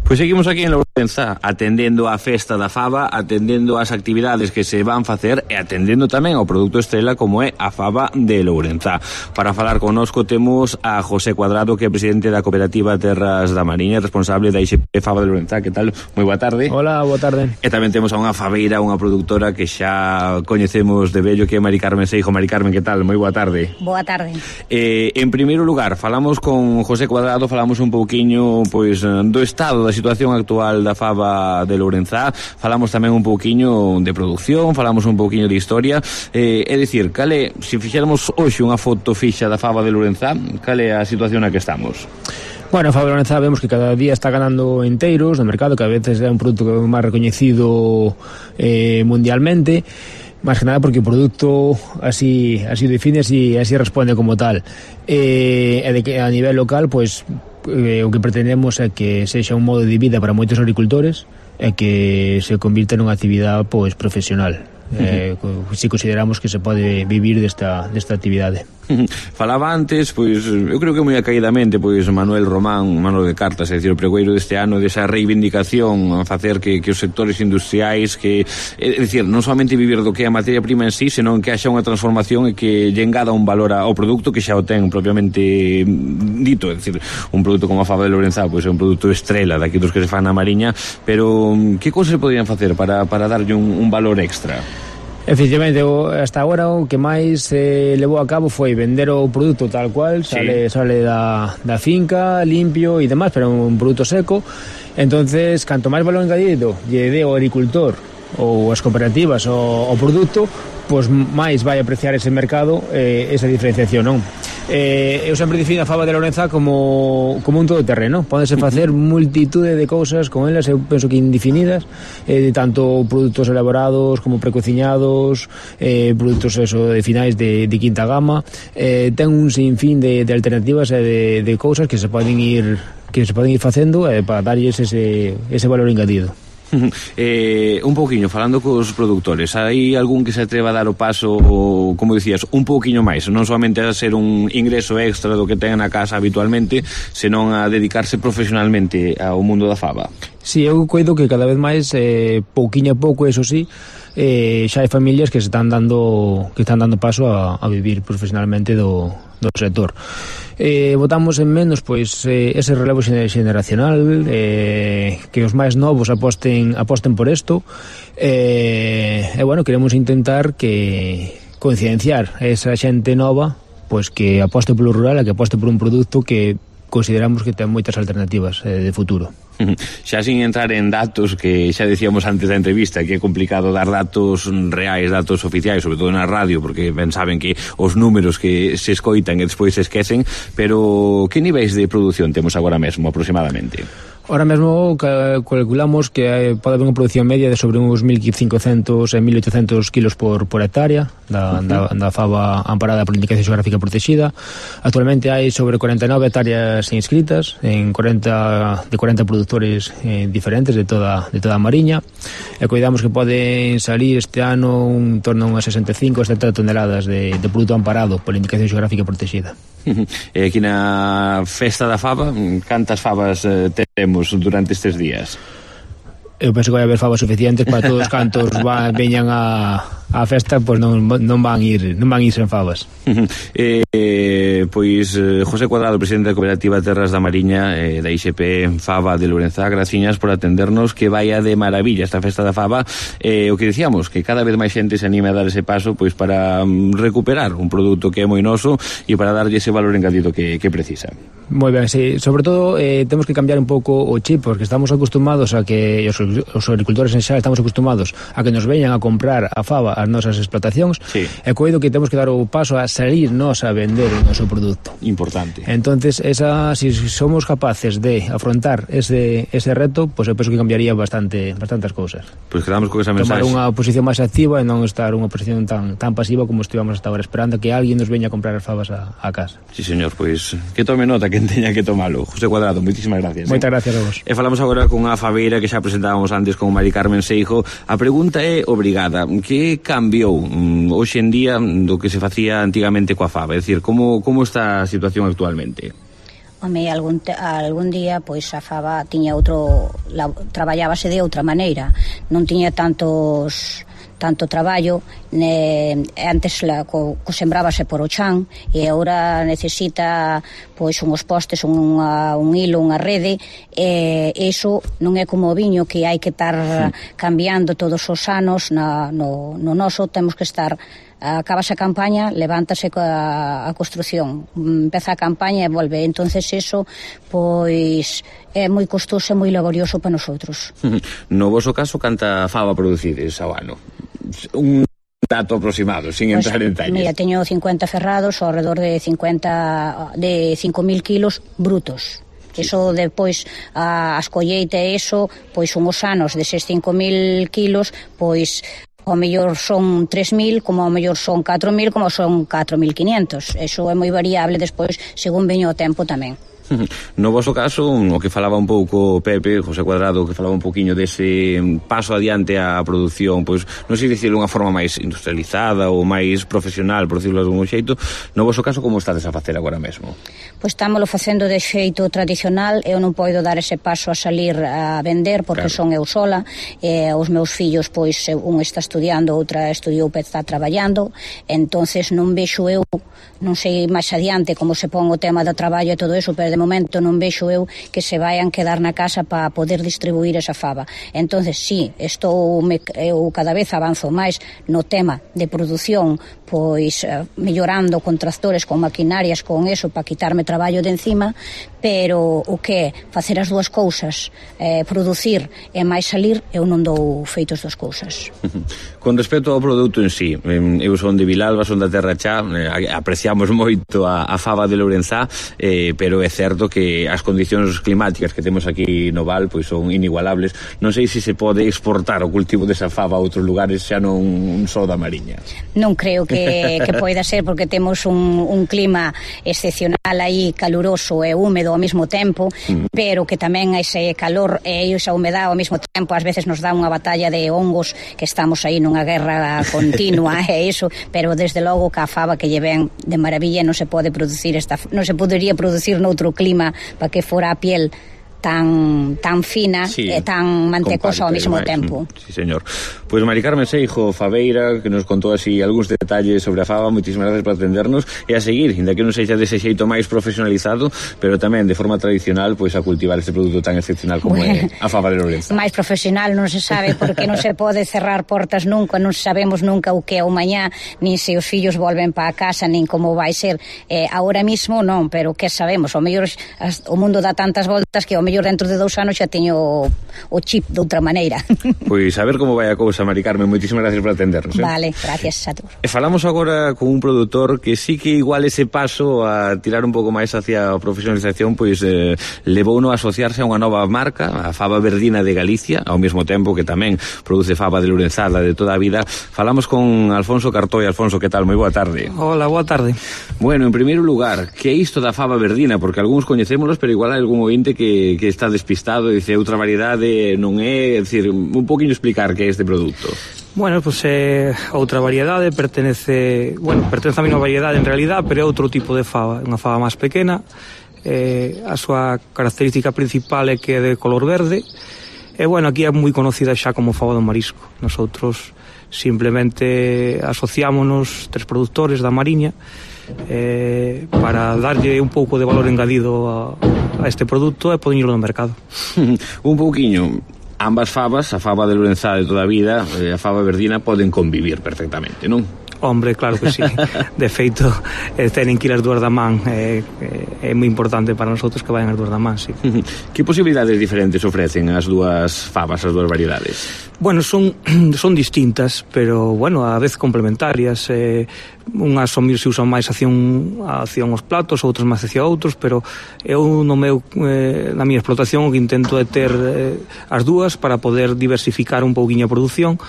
Pois seguimos aquí en Lourenza, atendendo á festa da faba, atendendo ás actividades que se van facer e atendendo tamén ao produto estrela como é a faba de Lourenza. Para falar connosco temos a José Cuadrado, que é presidente da Cooperativa Terras da Mariña, responsable da IXP Faba de Lourenza. Que tal? Moi boa tarde. Hola, boa tarde. E tamén temos a unha fabeira, unha produtora que xa coñecemos de vello, que é Mari Carmen Seijo. Mari Carmen, que tal? Moi boa tarde. Boa tarde. En primeiro lugar, falamos con José Cuadrado, falamos un pouquiño pois do estado da situación actual da faba de Lourenza, falamos tamén un pouquiño de produción, falamos un pouquiño de historia, é dicir, cale, se fixéramos hoxe unha foto fixa da faba de Lourenza, cale a situación na que estamos? Bueno, a faba de Lourenza vemos que cada día está ganando enteiros no mercado, que a veces é un produto máis recoñecido mundialmente, máis que nada porque o produto así define, así responde como tal, e de que a nivel local, pois o que pretendemos é que sexa un modo de vida para moitos agricultores e que se convirta nunha actividade pois profesional. Si consideramos que se pode vivir desta actividade. Falaba antes, pois eu creo que moi acaidamente, pois Manuel Román, Manuel de Cartas, é dicir, o pregoeiro deste ano, desa reivindicación a facer que os sectores industriais, que é dicir, non somente vivir do que é a materia prima en sí, senón que haxa unha transformación e que lle engada un valor ao produto que xa o ten propiamente dito, é dicir, un produto como a faba de Lourenza, pois é un produto estrela daqui dos que se fan na Mariña, pero que cousas se podían facer para darlle un valor extra? Efectivamente, hasta agora o que máis levou a cabo foi vender o produto tal cual, sale da finca, limpio e demás, pero un produto seco. Entonces, canto máis valor engadido lle dé o agricultor ou as cooperativas o produto, pois máis vai apreciar ese mercado, esa diferenciación, non? Eu sempre defino a faba de Lourenza como un todoterreno. Pódense facer multitude de cousas con elas, eu penso que indefinidas, tanto produtos elaborados como precociñados, produtos de finais de quinta gama, ten un sinfín de alternativas e de cousas que se poden ir facendo para darlles ese valor engadido. Un pouquiño, falando cos produtores, hai algún que se atreva a dar o paso, como dicías, un pouquiño máis, non somente a ser un ingreso extra do que ten na casa habitualmente, senón a dedicarse profesionalmente ao mundo da faba? Si, eu coido que cada vez máis, pouquiño a pouco, eso sí, xa hai familias que están dando paso a vivir profesionalmente do sector. Votamos en menos pois ese relevo xeneracional, que os máis novos aposten por isto, e bueno, queremos intentar que concienciar a esa xente nova pois que aposte polo rural e que aposte por un produto que consideramos que ten moitas alternativas de futuro. Xa sin entrar en datos, que xa decíamos antes da entrevista que é complicado dar datos reais, datos oficiais, sobre todo na radio, porque ben saben que os números que se escoitan e despois se esquecen, pero que niveis de produción temos agora mesmo aproximadamente? Ahora mesmo calculamos que pode haber unha producción media de sobre uns 1.500 e 1.800 kilos por hectárea da faba amparada por indicación xeográfica protegida. Actualmente hai sobre 49 hectáreas inscritas de 40 produtores diferentes de toda a Mariña, e cuidamos que poden salir este ano en torno a unhas 65 a 70 toneladas de produto amparado por indicación xeográfica protegida. E aquí na festa da faba, cantas fabas temos durante estes días? Eu penso que vai haber fabas suficientes para todos cantos veñan a festa, pois non van ir sen fabas. Pois José Cuadrado, presidente da Cooperativa Terras da Mariña, da IXP Faba de Lourenzá, graciñas por atendernos, que vaya de maravilla esta festa da faba. O que dicíamos, que cada vez máis xente se anime a dar ese paso pois para recuperar un produto que é moi noso e para darlle ese valor engadido que precisa. Moi ben, sí. Sobre todo temos que cambiar un pouco o chip, porque estamos acostumados a que os agricultores en xeral estamos acostumados a que nos veñan a comprar a faba as nosas explotacións, sí. E coido que temos que dar o paso a salir nos a vender o noso produto. Importante. Entonces, si somos capaces de afrontar ese reto, pues eu penso que cambiaría bastantes cousas. Pois quedamos con esa mensaxe. Tomar unha posición máis activa e non estar unha posición tan pasiva como estivamos hasta agora, esperando que alguén nos veña a comprar as fabas a casa. Sí, señor, pois que tome nota quen teña que tomalo. José Cuadrado, moitísimas gracias. Moitas gracias a vos. E falamos agora con a fabeira que xa presentábamos antes con Mari Carmen Seijo. A pregunta é obrigada. Que cambiou hoxe en día do que se facía antigamente coa faba? É dicir, como está a situación actualmente? Home, algún día pois a faba tiña traballábase de outra maneira, non tiña tanto traballo, antes sembrábase por o chan e agora necesita pois unhos postes, un hilo, unha rede, e iso non é como o viño que hai que estar cambiando todos os anos. No noso temos que estar, acabas a campaña, levántase a construción, empeza a campaña e volve. Entonces eso pois é moi costoso e moi laborioso para nosotros. No voso caso, canta faba producides ao ano? Un dato aproximado, sin entrar en detalles. Mira, teño 50 ferrados ao redor de 5.000 kilos brutos. Eso depois as colleita e eso, pois unhos anos deses 5.000 kilos, pois ao mellor son 3.000, como ao mellor son 4.000, como son 4.500. Eso é moi variable despois, según veño o tempo tamén. No voso caso, o que falaba un pouco Pepe, José Cuadrado, que falaba un poquinho dese paso adiante á produción, pois non sei dicir unha forma máis industrializada ou máis profesional, por decirlo de algún xeito. No voso caso, como estades a facer agora mesmo? Pois estámolo facendo de xeito tradicional. Eu non podo dar ese paso a salir a vender porque son eu sola, e os meus fillos, pois un está estudiando, outra estudiou, está traballando, entonces non vexo eu, non sei máis adiante como se pon o tema do traballo e todo eso, pero de momento non vexo eu que se vayan quedar na casa para poder distribuir esa faba. Entonces, sí, eu cada vez avanzo máis no tema de produción, pois mellorando con tractores, con maquinarias, con eso, para quitarme traballo de encima, pero o que é facer as dúas cousas, producir e máis salir, eu non dou feitos das cousas. Con respecto ao produto en sí, eu son de Vilalba, son da Terra Chá, apreciamos moito a faba de Lourenzá, pero é certo que as condicións climáticas que temos aquí no Val pois son inigualables. Non sei se pode exportar o cultivo desa faba a outros lugares, xa non só da Mariña. Non creo que poida ser, porque temos un clima excepcional aí, caluroso e húmedo ao mesmo tempo, pero que tamén ese calor e esa humedade ao mesmo tempo ás veces nos dá unha batalla de hongos, que estamos aí nunha guerra continua e iso, pero desde logo que a faba que lle ven de maravilla non se pode producir non se podería producir noutro clima para que fora a piel tan fina, sí, e tan mantecosa ao mesmo tempo. Sí, señor. Pois Mari Carmen Seijo, fabeira, que nos contou así algúns detalles sobre a faba, moitísimas gracias por atendernos, e a seguir, inda que non sexa dese xeito máis profesionalizado, pero tamén de forma tradicional, pois a cultivar este produto tan excepcional como é a faba de Lourenzá. Máis profesional non se sabe, porque non se pode cerrar portas nunca, non sabemos nunca o que é o mañá, nin se os fillos volven para a casa, nin como vai ser. Ahora mismo non, pero que sabemos, o mellor o mundo dá tantas voltas que o mellor dentro de 2 anos xa teño o chip de outra maneira. Pois a ver como vai a cousa, Mari Carmen, moitísimas gracias por atendernos. Vale, gracias a todos. E falamos agora con un produtor que sí que igual ese paso a tirar un pouco máis hacia a profesionalización, pois levouno a asociarse a unha nova marca, a Faba Verdina de Galicia, ao mesmo tempo que tamén produce faba de Lourenzá de toda a vida. Falamos con Alfonso Cartoi. Alfonso, que tal? Moi boa tarde. Hola, boa tarde. Bueno, en primeiro lugar, que é isto da faba verdina? Porque algúns coñecémolos, pero igual hai algún ointe que está despistado e dice outra variedade non é, dicir, un poquinho explicar que é este produto. Bueno, pues outra variedade, pertence a mesma variedade en realidad, pero é outro tipo de faba, unha faba máis pequena. A súa característica principal é que é de color verde. E bueno, aquí é moi conocida xa como faba do marisco. Nosotros simplemente asociámonos 3 produtores da Mariña para darlle un pouco de valor engadido a este produto e poñerlo no mercado. Un pouquiño. Ambas fabas, a faba de Lourenzá de toda a vida e a faba verdina, poden convivir perfectamente, non? Hombre, claro que sí. De feito, tenen que ir as dúas da man. É moi importante para nosotros que vayan as dúas da man, sí. Que posibilidades diferentes ofrecen as dúas fabas, as dúas variedades? Bueno, son distintas, pero, bueno, a vez complementarias. Unhas se usan máis hacia os platos, outras máis hacia outros, pero eu na miña explotación o que intento é ter as dúas para poder diversificar un pouquiño a produción,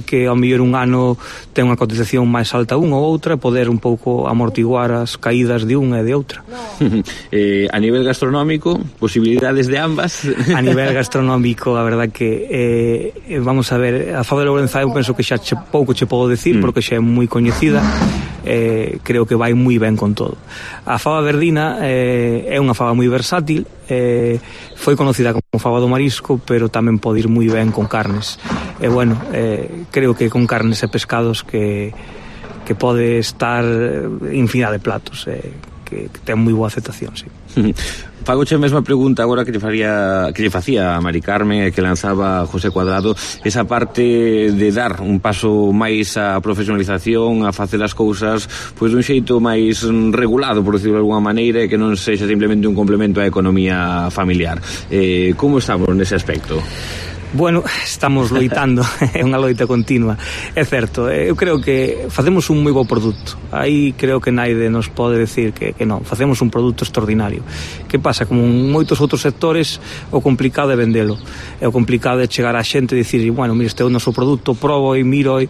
que ao mellor un ano ten unha cotización máis alta unha ou outra, poder un pouco amortiguar as caídas de unha e de outra. A nivel gastronómico, posibilidades de ambas? A nivel gastronómico, a verdad que vamos a ver, a faba de Lourenzá eu penso que xa pouco che podo decir, porque xa é moi coñecida. Creo que vai moi ben con todo. A faba verdina é unha faba moi versátil, foi conocida como faba do marisco, pero tamén pode ir moi ben con carnes. Bueno, creo que con carnes e pescados que pode estar infinidade de platos, que ten moi boa aceptación, sí. Fagoche a mesma pregunta agora que lle facía a Mari Carmen e que lanzaba José Cuadrado, esa parte de dar un paso máis á profesionalización, a facer as cousas pois dun xeito máis regulado, por decirlo de alguma maneira, e que non sexa simplemente un complemento á economía familiar. Como estamos nese aspecto? Bueno, estamos loitando, é unha loita continua. É certo, eu creo que facemos un moi bo produto. Aí creo que naide nos pode decir que non, facemos un produto extraordinario. Que pasa? Como en moitos outros sectores, o complicado é vendelo. E o complicado é chegar á xente e dicir, bueno, mira, este é o noso produto, probo e miro e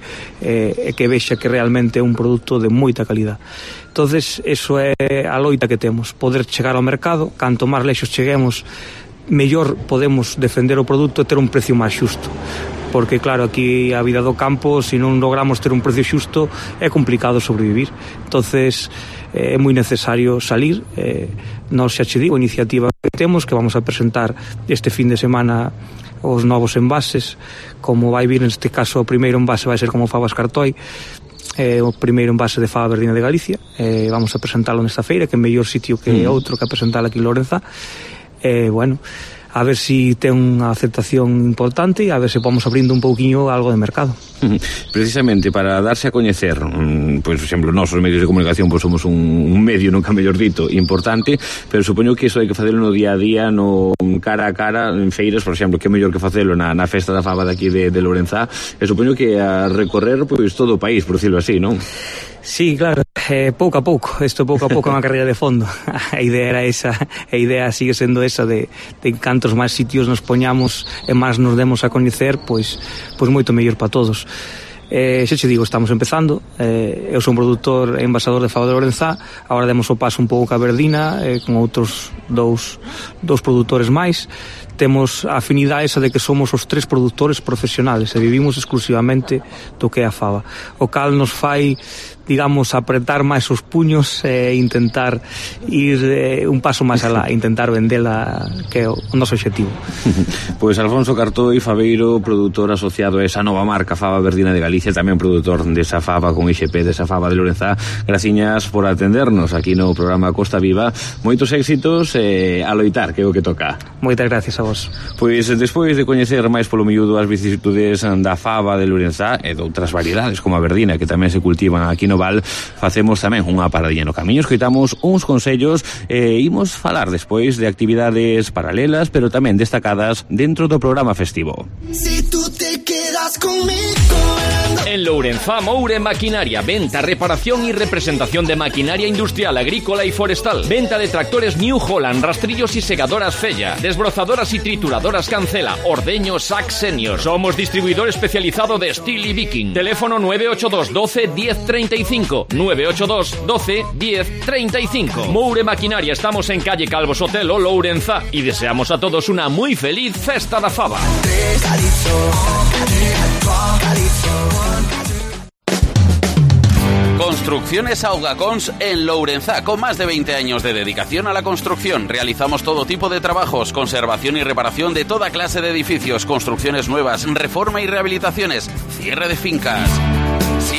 que vexa que realmente é un produto de moita calidad. Entonces, eso é a loita que temos, poder chegar ao mercado, canto máis lexos cheguemos, mellor podemos defender o produto e ter un precio máis xusto, porque claro, aquí a vida do campo, se non logramos ter un precio xusto, é complicado sobrevivir. Entonces é moi necesario salir. Nós xa che digo, a iniciativa que temos, que vamos a presentar este fin de semana os novos envases, como vai vir neste caso o primeiro envase vai ser como fabas cartoi, o primeiro envase de faba verdina de Galicia, vamos a presentalo nesta feira, que é mellor sitio que outro que a presentala aquí en Lourenzá. Bueno, a ver si ten unha aceptación importante e a ver se vamos abrindo un pouquiño algo de mercado. Precisamente para darse a coñecer, pois, por exemplo, nós os medios de comunicación pois somos un medio, nunca mellor dito, importante, pero supoño que iso hai que facelo no día a día, no cara a cara, en feiras, por exemplo, que é mellor que facelo na festa da faba daqui de Lourenzá, e supoño que a recorrer pois todo o país, por decirlo así, non? Sí, claro, pouco a pouco, isto pouco a pouco é unha carreira de fondo. A idea era esa, a idea sigue sendo esa de cantos máis sitios nos poñamos e máis nos demos a coñecer, pois moito mellor para todos. Xa che digo, estamos empezando. Eu son produtor e envasador de faba de Lourenzá. Agora demos o paso un pouco a verdina, con outros dous produtores máis. Temos a afinidade esa de que somos os tres produtores profesionales e vivimos exclusivamente do que é a faba, o cal nos fai, digamos, apretar máis os puños e intentar ir un paso máis alá, intentar vendela, que é o noso obxectivo. Pois Alfonso Cartoi, fabeiro, produtor asociado a esa nova marca Faba Verdina de Galicia, tamén produtor desa faba con IXP, desa faba de Lourenzá. Graciñas por atendernos aquí no programa Costa Viva. Moitos éxitos e a loitar, que é o que toca. Moitas gracias a vos. Pois despois de coñecer máis polo miúdo as vicisitudes da faba de Lourenzá e de outras variedades como a verdina que tamén se cultivan aquí no Val, facemos tamén unha paradilla no camiño, escoitamos uns consellos e imos falar despois de actividades paralelas pero tamén destacadas dentro do programa festivo. Si tú te quedas conmigo. En Lourenzá, Moure Maquinaria, venta, reparación y representación de maquinaria industrial, agrícola y forestal. Venta de tractores New Holland, rastrillos y segadoras Fella, desbrozadoras y trituradoras Cancela, ordeños Sax Senior. Somos distribuidor especializado de Steel y Viking. Teléfono 982 12 10 35. 982 12 10 35. Moure Maquinaria, estamos en calle Calvo Sotelo, Lourenzá, y deseamos a todos una muy feliz Festa da Faba. Construcciones Augacons en Lourenzá, con más de 20 años de dedicación a la construcción. Realizamos todo tipo de trabajos, conservación y reparación de toda clase de edificios, construcciones nuevas, reforma y rehabilitaciones, cierre de fincas.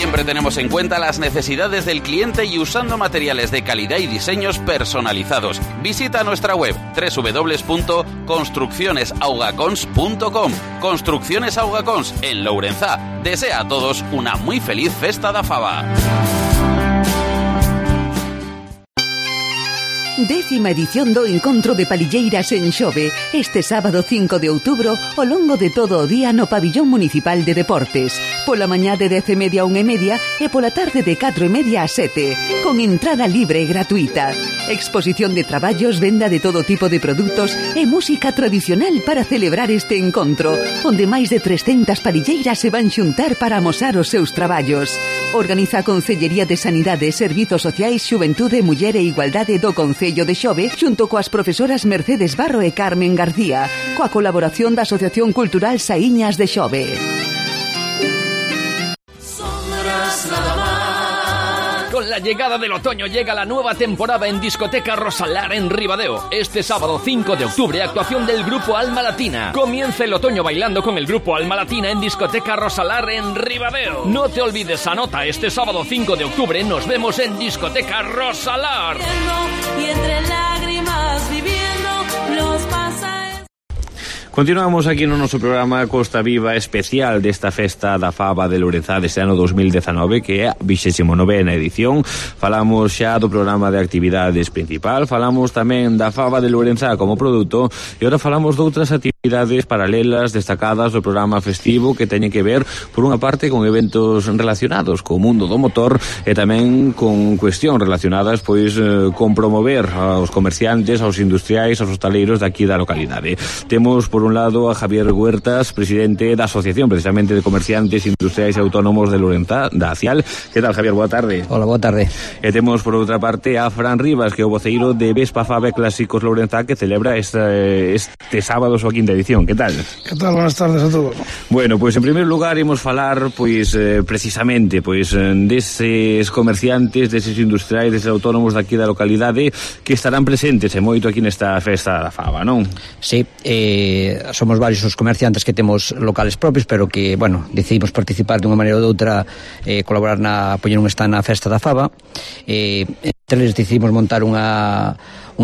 Siempre tenemos en cuenta las necesidades del cliente y usando materiales de calidad y diseños personalizados. Visita nuestra web www.construccionesaugacons.com. Construcciones Augacons en Lourenzá. Desea a todos una muy feliz festa da Faba. 10ª edición do Encontro de Palilleiras en Xove, este sábado 5 de outubro, ao longo de todo o día no Pabillón Municipal de Deportes. Pola mañá de 10:30 a 1:30 e pola tarde de 4:30 a 7, con entrada libre e gratuita. Exposición de traballos, venda de todo tipo de produtos e música tradicional para celebrar este encontro, onde máis de 300 palilleiras se van xuntar para amosar os seus traballos. Organiza a Consellería de Sanidade, Servizos Sociais, Xuventude, Muller e Igualdade do Concello de Xove, xunto coas profesoras Mercedes Barro e Carmen García, coa colaboración da Asociación Cultural Saíñas de Xove. Con la llegada del otoño llega la nueva temporada en Discoteca Rosalar en Ribadeo. Este sábado 5 de octubre, actuación del grupo Alma Latina. Comienza el otoño bailando con el grupo Alma Latina en Discoteca Rosalar en Ribadeo. No te olvides, anota, este sábado 5 de octubre nos vemos en Discoteca Rosalar. Y entre lágrimas viviendo los pasajes. Continuamos aquí no noso programa Costa Viva especial desta festa da Faba de Lourenzá deste ano 2019, que é a 29ª edición. Falamos xa do programa de actividades principal, falamos tamén da Faba de Lourenzá como produto e ora falamos de outras actividades paralelas destacadas do programa festivo que teñen que ver, por unha parte, con eventos relacionados co mundo do motor e tamén con cuestións relacionadas pois con promover aos comerciantes, aos industriais, aos hostaleiros daqui da localidade. Temos por un lado a Javier Huertas, presidente da Asociación precisamente de Comerciantes Industriais e Autónomos de Lourenzá, da ACIAL. Que tal, Javier? Boa tarde. Hola, boa tarde. E temos por outra parte a Fran Rivas, que é o voceiro de Vespa Faba Clásicos Lourenzá, que celebra este sábado a súa 5ª edición. Que tal? Que tal? Buenas tardes a todos. Bueno, pois en primeiro lugar imos falar precisamente deses comerciantes, deses industriais, deses autónomos daqui da localidade que estarán presentes e moito aquí nesta festa da Faba, non? Sí, somos varios os comerciantes que temos locales propios, pero que, decidimos participar de unha maneira ou de outra, colaborar poñer un stand na festa da Faba. Entre eles decidimos montar unha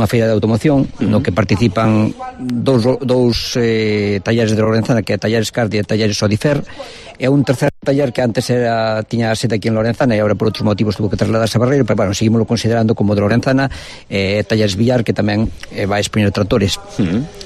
feira de automoción no que participan dous talleres de Lorenzana, que é Talleres Cardi e Talleres Odifer, e un terceiro taller que antes tiña a sede aquí en Lorenzana e agora por outros motivos tuvo que trasladarse a Barreiro, pero seguimoslo considerando como de Lorenzana. Talleres Villar, que tamén vai expoñer tractores.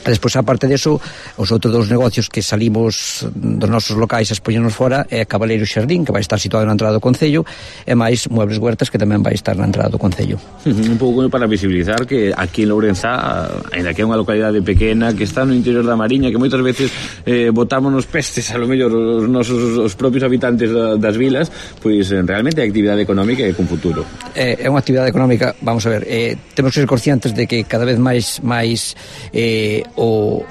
E despois, aparte deso, os outros dous negocios que salimos dos nosos locais a expoñernos fora é Cabaleiro Xardín, que vai estar situado na entrada do Concello, e máis Muebles Huertas, que tamén vai estar na entrada do Concello. Un pouco para visibilizar que aquí en Lourenzá, ainda que é unha localidade pequena, que está no interior da Mariña, que moitas veces botámonos pestes, a lo mellor os propios habitantes das vilas, pois realmente é actividade económica e con futuro. É unha actividade económica, vamos a ver, temos que ser conscientes de que cada vez máis o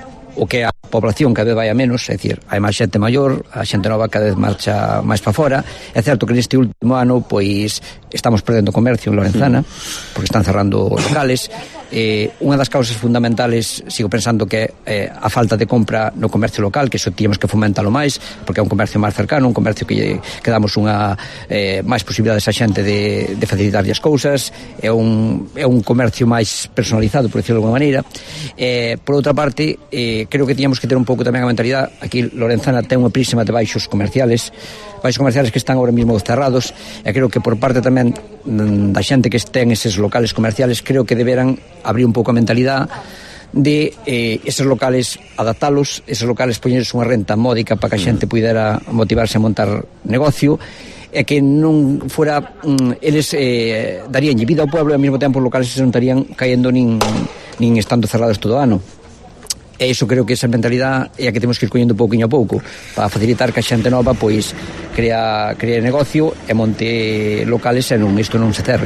que a población cada vez vai a menos, é dicir, hai máis xente maior, a xente nova cada vez marcha máis para fora. É certo que neste último ano pois estamos perdendo comercio en Lorenzana, porque están cerrando locales. Unha das causas fundamentales, sigo pensando que é a falta de compra no comercio local, que iso tíamos que fomentalo máis, porque é un comercio máis cercano, un comercio que damos unha máis posibilidades a xente de facilitarlle as cousas, é un comercio máis personalizado, por decirlo de alguma maneira. Por outra parte, creo que tiñamos que ter un pouco tamén a mentalidade. Aquí Lorenzana ten unha prísima de baixos comerciales que están ahora mismo cerrados, e creo que por parte tamén da xente que ten eses locales comerciales, creo que deberan abrir un pouco a mentalidade de eses locales, adaptalos, eses locales poñerse unha renta módica para que a xente pudera motivarse a montar negocio, e que non fora eles darían vida ao pueblo e ao mesmo tempo os locales se non estarían caendo nin estando cerrados todo o ano. E iso creo que esa mentalidade é a que temos que ir collendo pouquinho a pouco para facilitar que a xente nova pois crea negocio e monte locales e isto non se cerre.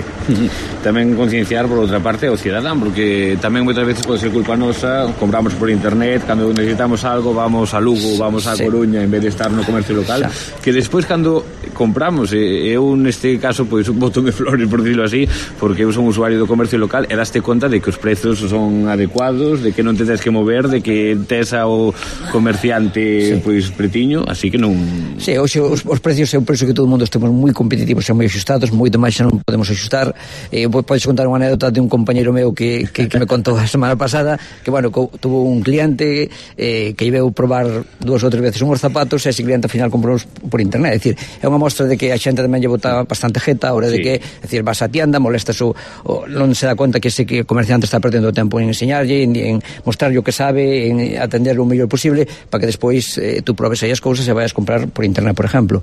Tamén concienciar por outra parte ao cidadán, porque tamén moitas veces pode ser culpa nosa, compramos por internet, cando necesitamos algo vamos a Lugo, vamos a Coruña en vez de estar no comercio local, que despois cando compramos, eu neste caso pois botome flores, por dicirlo así, porque eu son usuario do comercio local e daste conta de que os prezos son adecuados, de que non te tens que mover, de que tes ao comerciante pois pretiño, así que non... Sí, hoxe os precios é un precio que todo o mundo estamos moi competitivos e moi axustados, moito máis xa non podemos axustar. Podes contar unha anécdota de un compañeiro meu que me contou a semana pasada que, bueno, tuvo un cliente que ibeu probar 2 ou 3 veces unhos zapatos e ese cliente ao final comprou por internet. É dicir, é unha mostra de que a xente tamén lle bota bastante jeta a hora de que, é dicir, vas a tienda, molestas non se dá conta que ese comerciante está perdendo o tempo en enseñarlle, en mostrarlle o que sabe, en atender o mellor posible para que despois tú probes aí as cousas e vayas comprar por internet, por exemplo.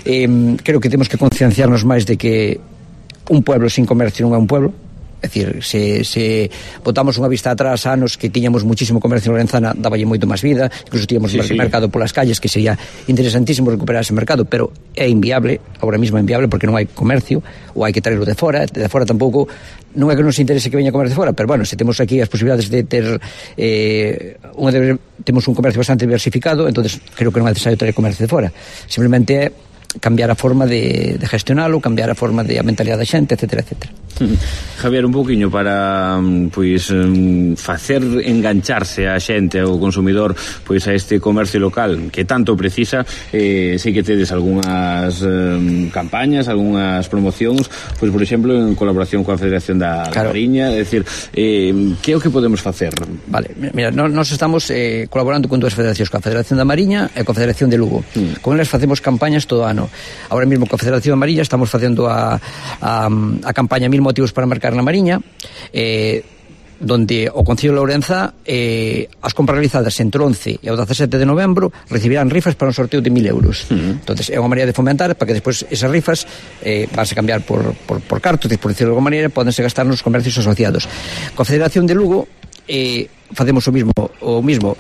Creo que temos que concienciarnos máis de que un pueblo sin comercio non é un pueblo. É dicir, se botamos unha vista atrás anos que tiñamos muchísimo comercio en Lorenzana, daballe moito máis vida, incluso tiñamos mercado polas calles, que sería interesantísimo recuperar ese mercado, pero é inviable, agora mesmo é inviable porque non hai comercio, ou hai que traerlo de fora tampouco, non é que nos interese que veña comercio de fora, pero bueno, se temos aquí as posibilidades de ter temos un comercio bastante diversificado, entonces creo que non é necesario traer comercio de fora, simplemente é cambiar a forma de gestionalo, cambiar a forma de a mentalidade da xente, etcétera, etcétera. Javier, un poquinho para pois facer engancharse a xente, ao consumidor, pois a este comercio local que tanto precisa. Sei que tedes algunhas campañas, algunhas promocións, pois por exemplo en colaboración coa Federación da Mariña, é dicir, que é o que podemos facer? Vale, mira, nós estamos colaborando con 2 federacións, coa Federación da Mariña e coa Federación de Lugo. Con elas facemos campañas todo ano. Agora mesmo coa Federación da Mariña estamos facendo a campaña 1000 motivos para marcar na Mariña, donde o Concello de Lourenzá as compras realizadas entre o 11 e o 17 de novembro recibirán rifas para un sorteo de 1000 euros. Entonces é unha maneira de fomentar para que despois esas rifas vanse cambiar por cartos, por decirlo de alguma maneira, podense gastar nos comercios asociados. Coa Federación de Lugo facemos o mismo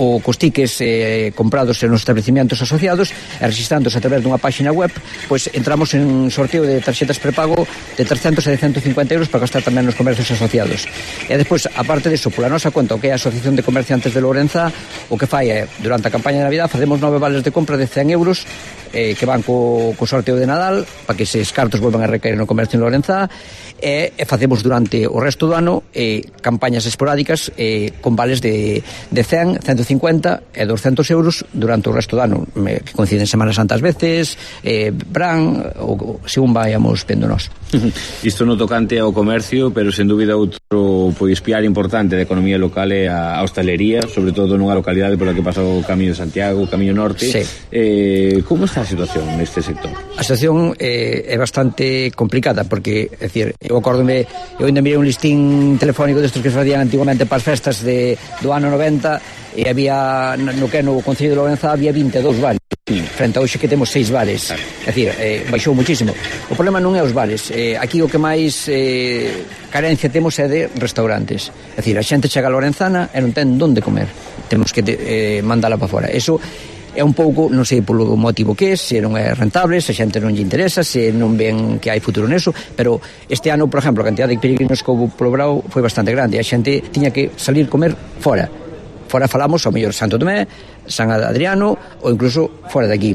o cos tickets comprados nos establecimientos asociados e registrándose a través dunha página web, pois entramos en sorteo de tarxetas prepago de 300 e de 150 euros para gastar tamén nos comercios asociados. E despois, aparte disso, pola nosa conta, o que é a Asociación de Comerciantes de Lourenzá, o que fai é, durante a campaña de Navidad, facemos 9 vales de compra de 100 euros que van co sorteo de Nadal para que eses cartos volvan a recaer no comercio en Lourenzá, e facemos durante o resto do ano campañas esporádicas con vales de 100, 150 e 200 euros durante o resto do ano, que coinciden Semana Santa ás veces, Bran, ou según vayamos vendo nós. Isto no tocante ao comercio, pero sen dúbida outro pois piar importante da economía local é a hostalería, sobre todo nunha localidade pola que pasa o Camiño de Santiago, o Camiño Norte. Como está a situación neste sector? A situación é bastante complicada porque, é dicir, eu acórdome, eu ainda mirei un listín telefónico destes que se facían antigamente para as festas do ano 90 e había no que no Concello de Lourenzá había 22 bares frente a hoxe que temos 6 bares. É dicir, baixou muchísimo. O problema non é os bares, aquí o que máis carencia temos é de restaurantes. É dicir, a xente chega a Lorenzana e non ten onde comer, temos que mandala para fora. Eso é un pouco, non sei polo motivo que é, se non é rentable, se a xente non lle interesa, se non ven que hai futuro neso, pero este ano, por exemplo, a cantidad de peregrinos que houve polo Brao foi bastante grande, a xente tiña que salir comer fora falamos ao mellor Santo Tomé, San Adriano ou incluso fora de aquí.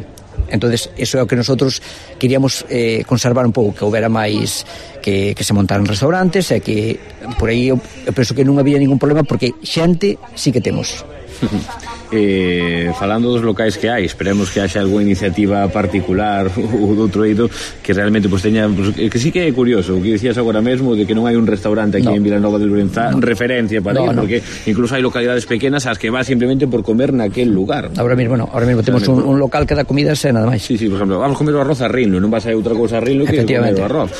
Entonces, eso é o que nosotros queríamos conservar un pouco, que houbera máis que se montaran restaurantes e que por aí eu penso que non había ningún problema porque xente sí que temos. Falando dos locais que hai, esperemos que haxa algunha iniciativa particular ou do outro eido que realmente pues, teña pues, que sí que é curioso o que dicías agora mesmo de que non hai un restaurante aquí en Vilanova de Lourenzá referencia para ir, porque incluso hai localidades pequenas as que vas simplemente por comer naquel lugar. Ahora mismo temos un local que dá comidas e nada máis. Sí, por exemplo, vamos comer o arroz a Rinlo, non vas a outra cousa a Rinlo que comer o arroz.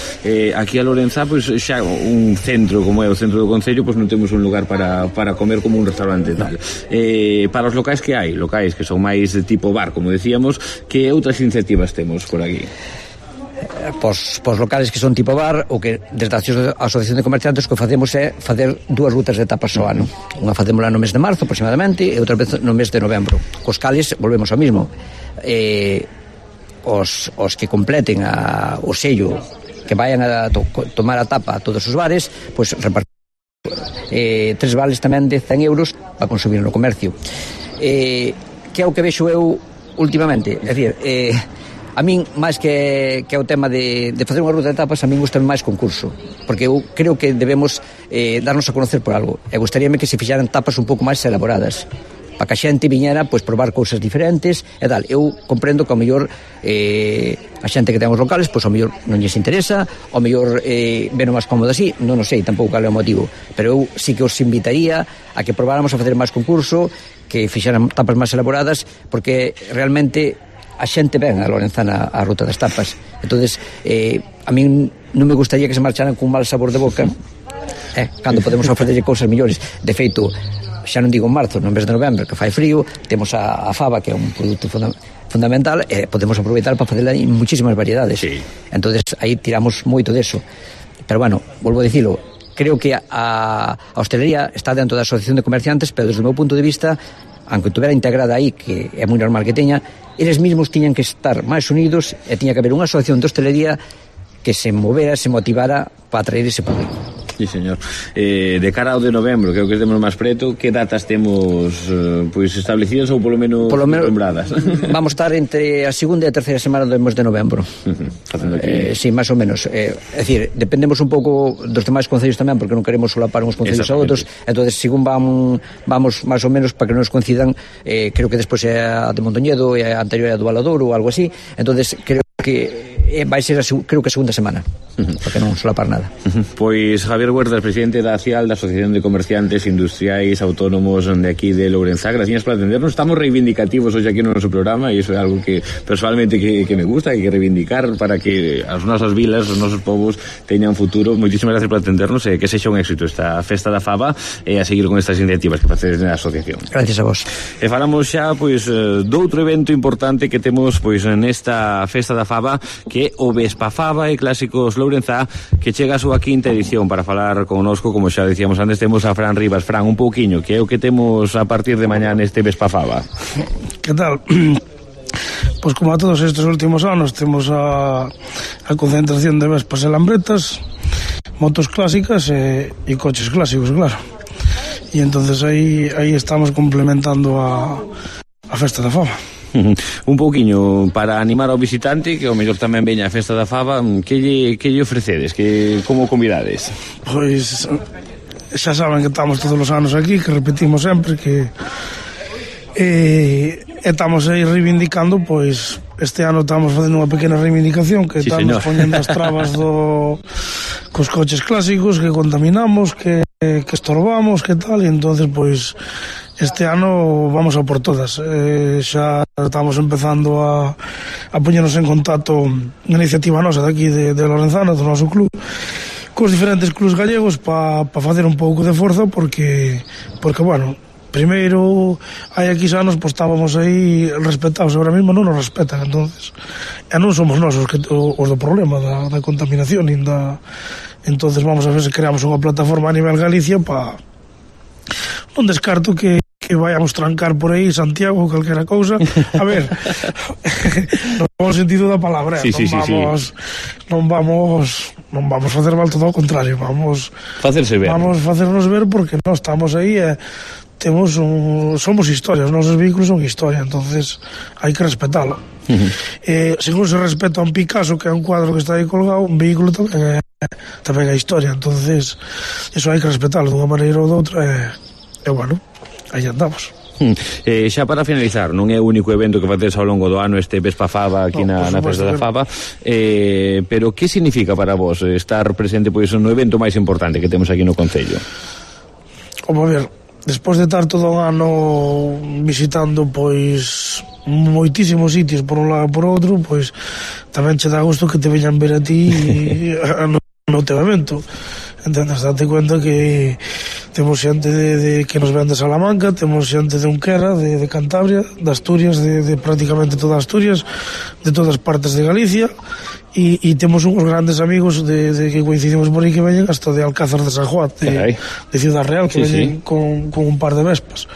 Aquí a Lourenzá, pues, xa un centro como é o centro do Concello, pues non temos un lugar para comer como un restaurante tal. Para os locais que hai, locais que son máis de tipo bar, como decíamos, que outras iniciativas temos por aquí? Pos locales que son tipo bar, o que desde a Asociación de Comerciantes que facemos é facer 2 rutas de tapas ao ano. Unha facémola no mes de marzo aproximadamente e outra vez no mes de novembro. Cos cales volvemos ao mismo. Os que completen o sello, que vayan a tomar a tapa a todos os bares, pois repartimos 3 vales tamén de 100 euros para consumir no comercio. Que é o que vexo eu últimamente, é dicir, A min, máis que o tema de facer unha ruta de tapas, a min gusta máis concurso, porque eu creo que debemos darnos a conocer por algo, e gustaríame que se fixaran tapas un pouco máis elaboradas, para que a xente viñera, pois, probar cousas diferentes e tal. Eu comprendo que ao mellor a xente que ten os locales, pois ao mellor non lles interesa, ao mellor ven máis cómodo así, non o sei tampouco cal é o motivo, pero eu sí que os invitaría a que probáramos a facer máis concurso, que fixaran tapas máis elaboradas, porque realmente a xente ven a Lorenzana a ruta das tapas. Entonces, a min non me gustaría que se marcharan con un mal sabor de boca, cando podemos ofrecerlle cousas millores. De feito, xa non digo en marzo, no mes de novembro, que fai frío, temos a fava, que é un produto fundamental, e podemos aproveitar para facela en muchísimas variedades. Sí. Entonces, aí tiramos moito deso. Pero bueno, volvo a dicilo, creo que a hostelería está dentro da Asociación de Comerciantes, pero desde o meu punto de vista, aunque tuvera integrada aí, que é moi normal que teña, eles mesmos tiñan que estar máis unidos e tiña que haber unha asociación de hostelería que se movera, se motivara para atraer ese público. Sí, señor. De cara ao de novembro, creo que temos máis preto, que datas temos pois establecidas ou polo menos lembradas? Vamos estar entre a segunda e a terceira semana do mes de novembro. Sí, máis ou menos. É dicir, dependemos un pouco dos demais concellos tamén, porque non queremos solapar uns concellos a outros, entonces según vamos máis ou menos para que non nos coincidan, creo que despois é a de Mondoñedo e a anterior é a do Valadouro ou algo así, entonces creo que vai ser creo que a segunda semana, porque non solapar nada. Pois Javier Huertas, presidente da ACIAL, da Asociación de Comerciantes Industriais Autónomos de aquí de Lourenzá, gracias por atendernos. Estamos reivindicativos hoxe aquí no noso programa e iso é algo que personalmente que me gusta e que reivindicar para que as nosas vilas, os nosos povos teñan futuro. Moitísimas gracias por atendernos e que sexa un éxito esta festa da fava e a seguir con estas iniciativas que facedes na asociación. Gracias a vos. E falamos xa pois doutro evento importante que temos pois nesta festa da fava, que o Vespafava e Clásicos Lourenzá, que chega a súa quinta edición. Para falar connosco, como xa decíamos antes, temos a Fran Rivas. Fran, un pouquiño, que é o que temos a partir de mañá neste Vespafava? Que tal? Pois como a todos estes últimos anos temos a concentración de vespas e lambretas, motos clásicas e coches clásicos, claro. E entonces aí estamos complementando a festa da fava. Un pouquiño para animar ao visitante, que ao mellor tamén veña a festa da fava, que lle ofrecedes, que como convidades? Pois xa saben que estamos todos os anos aquí, que repetimos sempre que estamos aí reivindicando, pois este ano estamos facendo unha pequena reivindicación, que sí, estamos poñendo as trabas cos coches clásicos, que contaminamos, que estorbamos, que tal, e entonces pois este ano vamos a por todas. Xa estamos empezando a poñernos en contacto na iniciativa nosa daqui de Lorenzana, do noso club, cos diferentes clubs gallegos para facer un pouco de forza, porque bueno, primeiro hai aquí anos pois estábamos aí respetados, agora mesmo non nos respetan, entonces e non somos nós os do problema da contaminación, entonces vamos a ver se creamos unha plataforma a nivel Galicia para non descarto que vayamos trancar por aí Santiago ou calquera cousa, a ver no bom sentido da palabra, non vamos facer mal, todo ao contrario, vamos facernos ver, porque nós estamos aí somos historia, os nosos vehículos son historia, entonces hai que respetalo. Según se respeta un Picasso, que é un cuadro que está aí colgado, un vehículo tamén é historia, entonces eso hai que respetalo dunha maneira ou doutra, e bueno, aí andamos. Xa para finalizar, non é o único evento que facedes ao longo do ano este Vespafava aquí na festa da fava, pero que significa para vos estar presente pois no evento máis importante que temos aquí no concello? Como a ver, despois de estar todo o ano visitando pois moitísimos sitios por un lado e por outro, pois tamén che dá gusto que te veñan ver a ti no teu evento. Entendes, date cuenta que temos xente que nos ven de Salamanca, temos xente de Unquera, de Cantabria, de Asturias, de prácticamente toda Asturias, de todas partes de Galicia, e temos uns grandes amigos de que coincidimos por aí, que veñen hasta de Alcázar de San Juan, de Ciudad Real, que veñen con un par de vespas.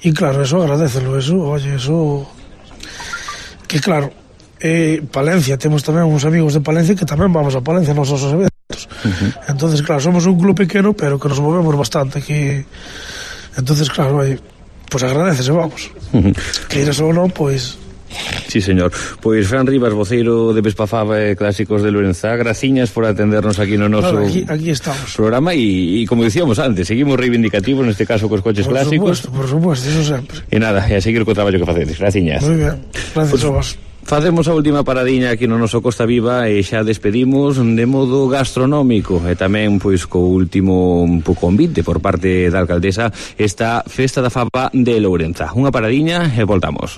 E claro, eso agradecelo, eso que claro, Palencia, temos tamén uns amigos de Palencia que tamén vamos a Palencia nos nosos eventos. Entonces, claro, somos un club pequeno, pero que nos movemos bastante, que entonces, claro, pues agradecese, vamos. Que iras ou non, pois Sí, señor. Pois Fran Rivas, voceiro de Vespafaba e Clásicos de Lourenzá, graciñas por atendernos aquí no noso aquí estamos. Programa e como dicíamos antes, seguimos reivindicativos neste caso cos coches clásicos. Por supuesto, eso sempre. E nada, e a seguir co traballo que facedes. Graciñas. Moi ben, gracias a vos. Facemos a última paradiña aquí no noso Costa Viva e xa despedimos de modo gastronómico e tamén pois co último convite por parte da alcaldesa esta Festa da Faba de Lourenzá. Unha paradiña e voltamos.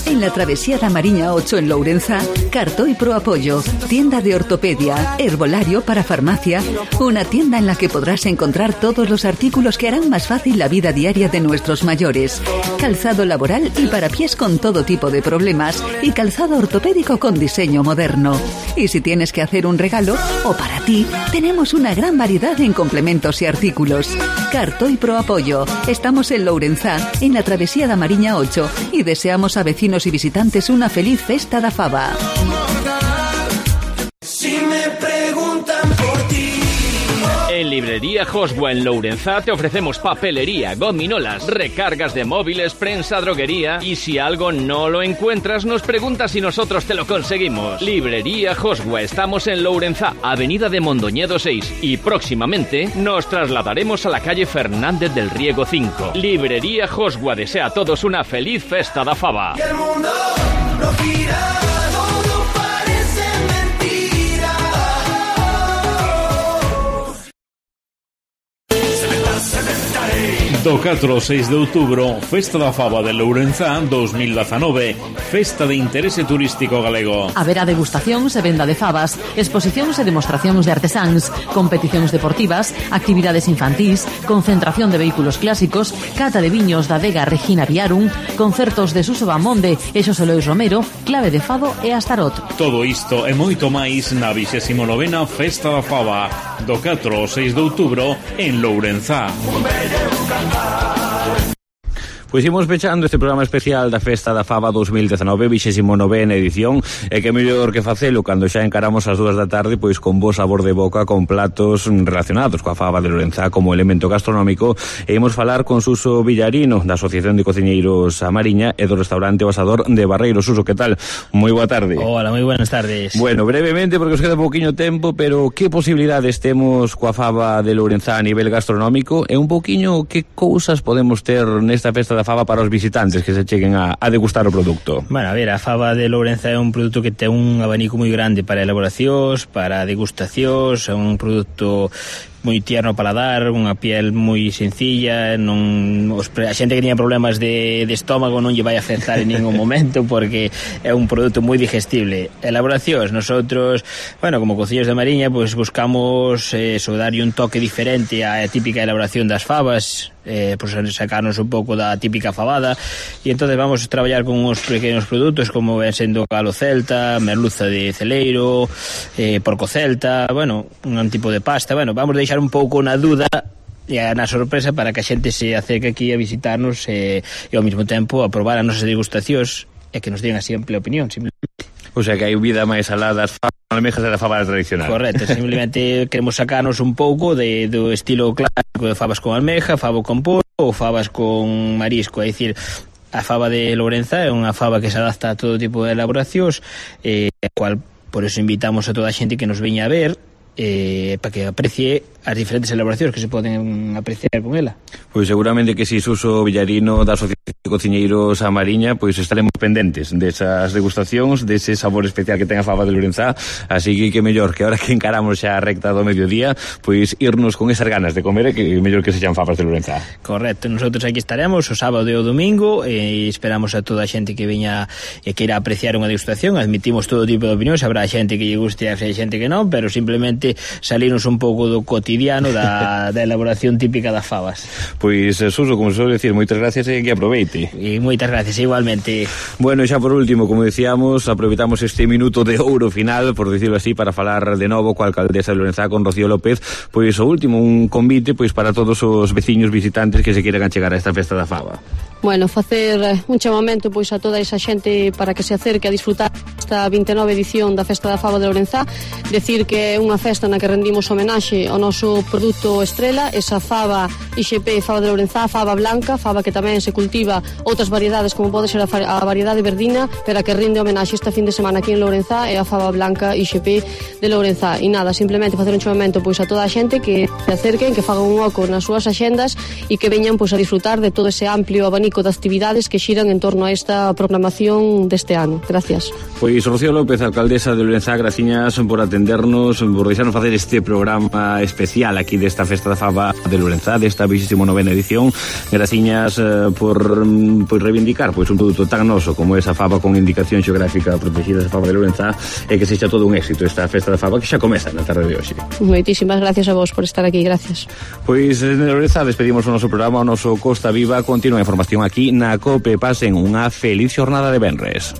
En la travesía da Mariña 8 en Lourenzá, Cartoy Pro Apoyo, tienda de ortopedia, herbolario para farmacia, una tienda en la que podrás encontrar todos los artículos que harán más fácil la vida diaria de nuestros mayores, calzado laboral y para pies con todo tipo de problemas y calzado ortopédico con diseño moderno. Y si tienes que hacer un regalo o para ti, tenemos una gran variedad en complementos y artículos. Cartoy Pro Apoyo. Estamos en Lourenzá, en la travesía da Mariña 8 y deseamos a vecinos y visitantes una feliz Festa da Faba. Si me preguntan por ti. En Librería Josua en Lourenzá te ofrecemos papelería, gominolas, recargas de móviles, prensa, droguería y si algo no lo encuentras nos preguntas y nosotros te lo conseguimos. Librería Josua, estamos en Lourenzá, Avenida de Mondoñedo 6 y próximamente nos trasladaremos a la calle Fernández del Riego 5. Librería Josua desea a todos una feliz Festa da Faba. Y el mundo no gira. Do 4 ao 6 de outubro, Festa da Faba de Lourenzá 2019, Festa de Interese Turístico Galego. Haberá degustacións e venda de fabas, exposicións e demostracións de artesáns, competicións deportivas, actividades infantís, concentración de vehículos clásicos, cata de viños da adega Regina Viarum, concertos de Suso Bamonde e Xosé Lois Romero, clave de fado e Astarot. Todo isto e moito máis na 29ª Festa da Faba, do 4 ao 6 de outubro en Lourenzá. Pois imos pechando este programa especial da Festa da Faba 2019, 29ª edición, e que mellor que facelo cando xa encaramos as 2 da tarde, pois con bo sabor de boca, con platos relacionados coa Faba de Lourenzá como elemento gastronómico, e imos falar con Suso Villarino, da Asociación de Cociñeiros A Mariña e do restaurante O Asador de Barreiro. Suso, que tal? Moi boa tarde. Hola, moi buenas tardes. Bueno, brevemente, porque os queda pouquiño tempo, pero que posibilidades temos coa Faba de Lourenzá a nivel gastronómico e un pouquiño que cousas podemos ter nesta Festa da Faba para os visitantes que se cheguen a degustar o produto? Bueno, a ver, a Faba de Lourenzá é un produto que ten un abanico moi grande para elaboracións, para degustacións, é un produto moi tierno ao paladar, unha piel moi sencilla, a xente que tiña problemas de estómago non lle vai afectar en ningún momento porque é un produto moi digestible. Elaboracións, nosotros, bueno, como cociños de Mariña, pues buscamos darlle un toque diferente á típica elaboración das fabas, pues sacarnos un pouco da típica fabada, e entonces vamos a traballar con uns pequenos produtos como ven sendo galo celta, merluza de celeiro, porco celta, bueno, un tipo de pasta, bueno, vamos a deixar un pouco na dúda e na sorpresa para que a xente se acerque aquí a visitarnos e ao mesmo tempo a probar as nosas degustacións e que nos digan a simple opinión, simplemente. O sea que hai vida máis alá das fabas almejas e da fabada tradicional. Correcto, simplemente queremos sacarnos un pouco do estilo clásico de fabas con almeja, favo con pollo ou fabas con marisco, é dicir, a faba de Lourenzá é unha faba que se adapta a todo tipo de elaboracións, cual por eso invitamos a toda a xente que nos veña a ver para que aprecie as diferentes elaboracións que se poden apreciar con ela. Pois seguramente que si Suso Villarino da Asociación de Cociñeiros A Mariña, pois estaremos pendentes desas degustacións, dese sabor especial que ten a faba de Lourenzá, así que mellor que ahora que encaramos xa a recta do mediodía, pois irnos con esas ganas de comer e que mellor que sexan fabas de Lourenzá. Correcto, nosotros aquí estaremos o sábado e o domingo e esperamos a toda a xente que veña e queira apreciar unha degustación. Admitimos todo tipo de opinións, habrá xente que lle guste e xente que non, pero simplemente salirnos un pouco do cotidiano da elaboración típica das fabas. Pois, Suso, como se suele decir, moitas gracias e que aproveite. E moitas gracias, igualmente. Bueno, xa por último, como decíamos, aproveitamos este minuto de ouro final, por decirlo así, para falar de novo coa alcaldesa de Lourenzá, con Rocío López, pois o último, un convite pois para todos os veciños visitantes que se queiran achegar a esta Festa da Faba. Bueno, facer un chamamento pois a toda esa xente para que se acerque a disfrutar esta 29 edición da Festa da Faba de Lourenzá, decir que é unha festa festa na que rendimos homenaxe ao noso produto estrela, esa fava IXP, fava de Lourenzá, fava blanca, fava que tamén se cultiva outras variedades como pode ser a variedade verdina, pero a que rinde homenaxe esta fin de semana aquí en Lourenzá é a fava blanca IXP de Lourenzá. E nada, simplemente facer un chamamento pois a toda a xente que se acerquen, que fagan un oco nas súas axendas e que veñan pois a disfrutar de todo ese amplio abanico de actividades que xiran en torno a esta programación deste ano. Gracias. Pois Rocío López, alcaldesa de Lourenzá, graciñas por atendernos, por deixarnos facer este programa especial aquí desta Festa da Fava de Lourenzá, desta 29ª edición. Graciñas por reivindicar pois un produto tan noso como esa fava con indicación xeográfica protegida, esa fava de Lourenzá, e que sexa todo un éxito esta Festa da Fava que xa comeza na tarde de hoxe. Moitísimas gracias a vos por estar aquí, gracias. Pois en Lourenzá despedimos o noso programa, o noso Costa Viva. Continúa a información aquí na COPE. Pasen unha feliz xornada de venres.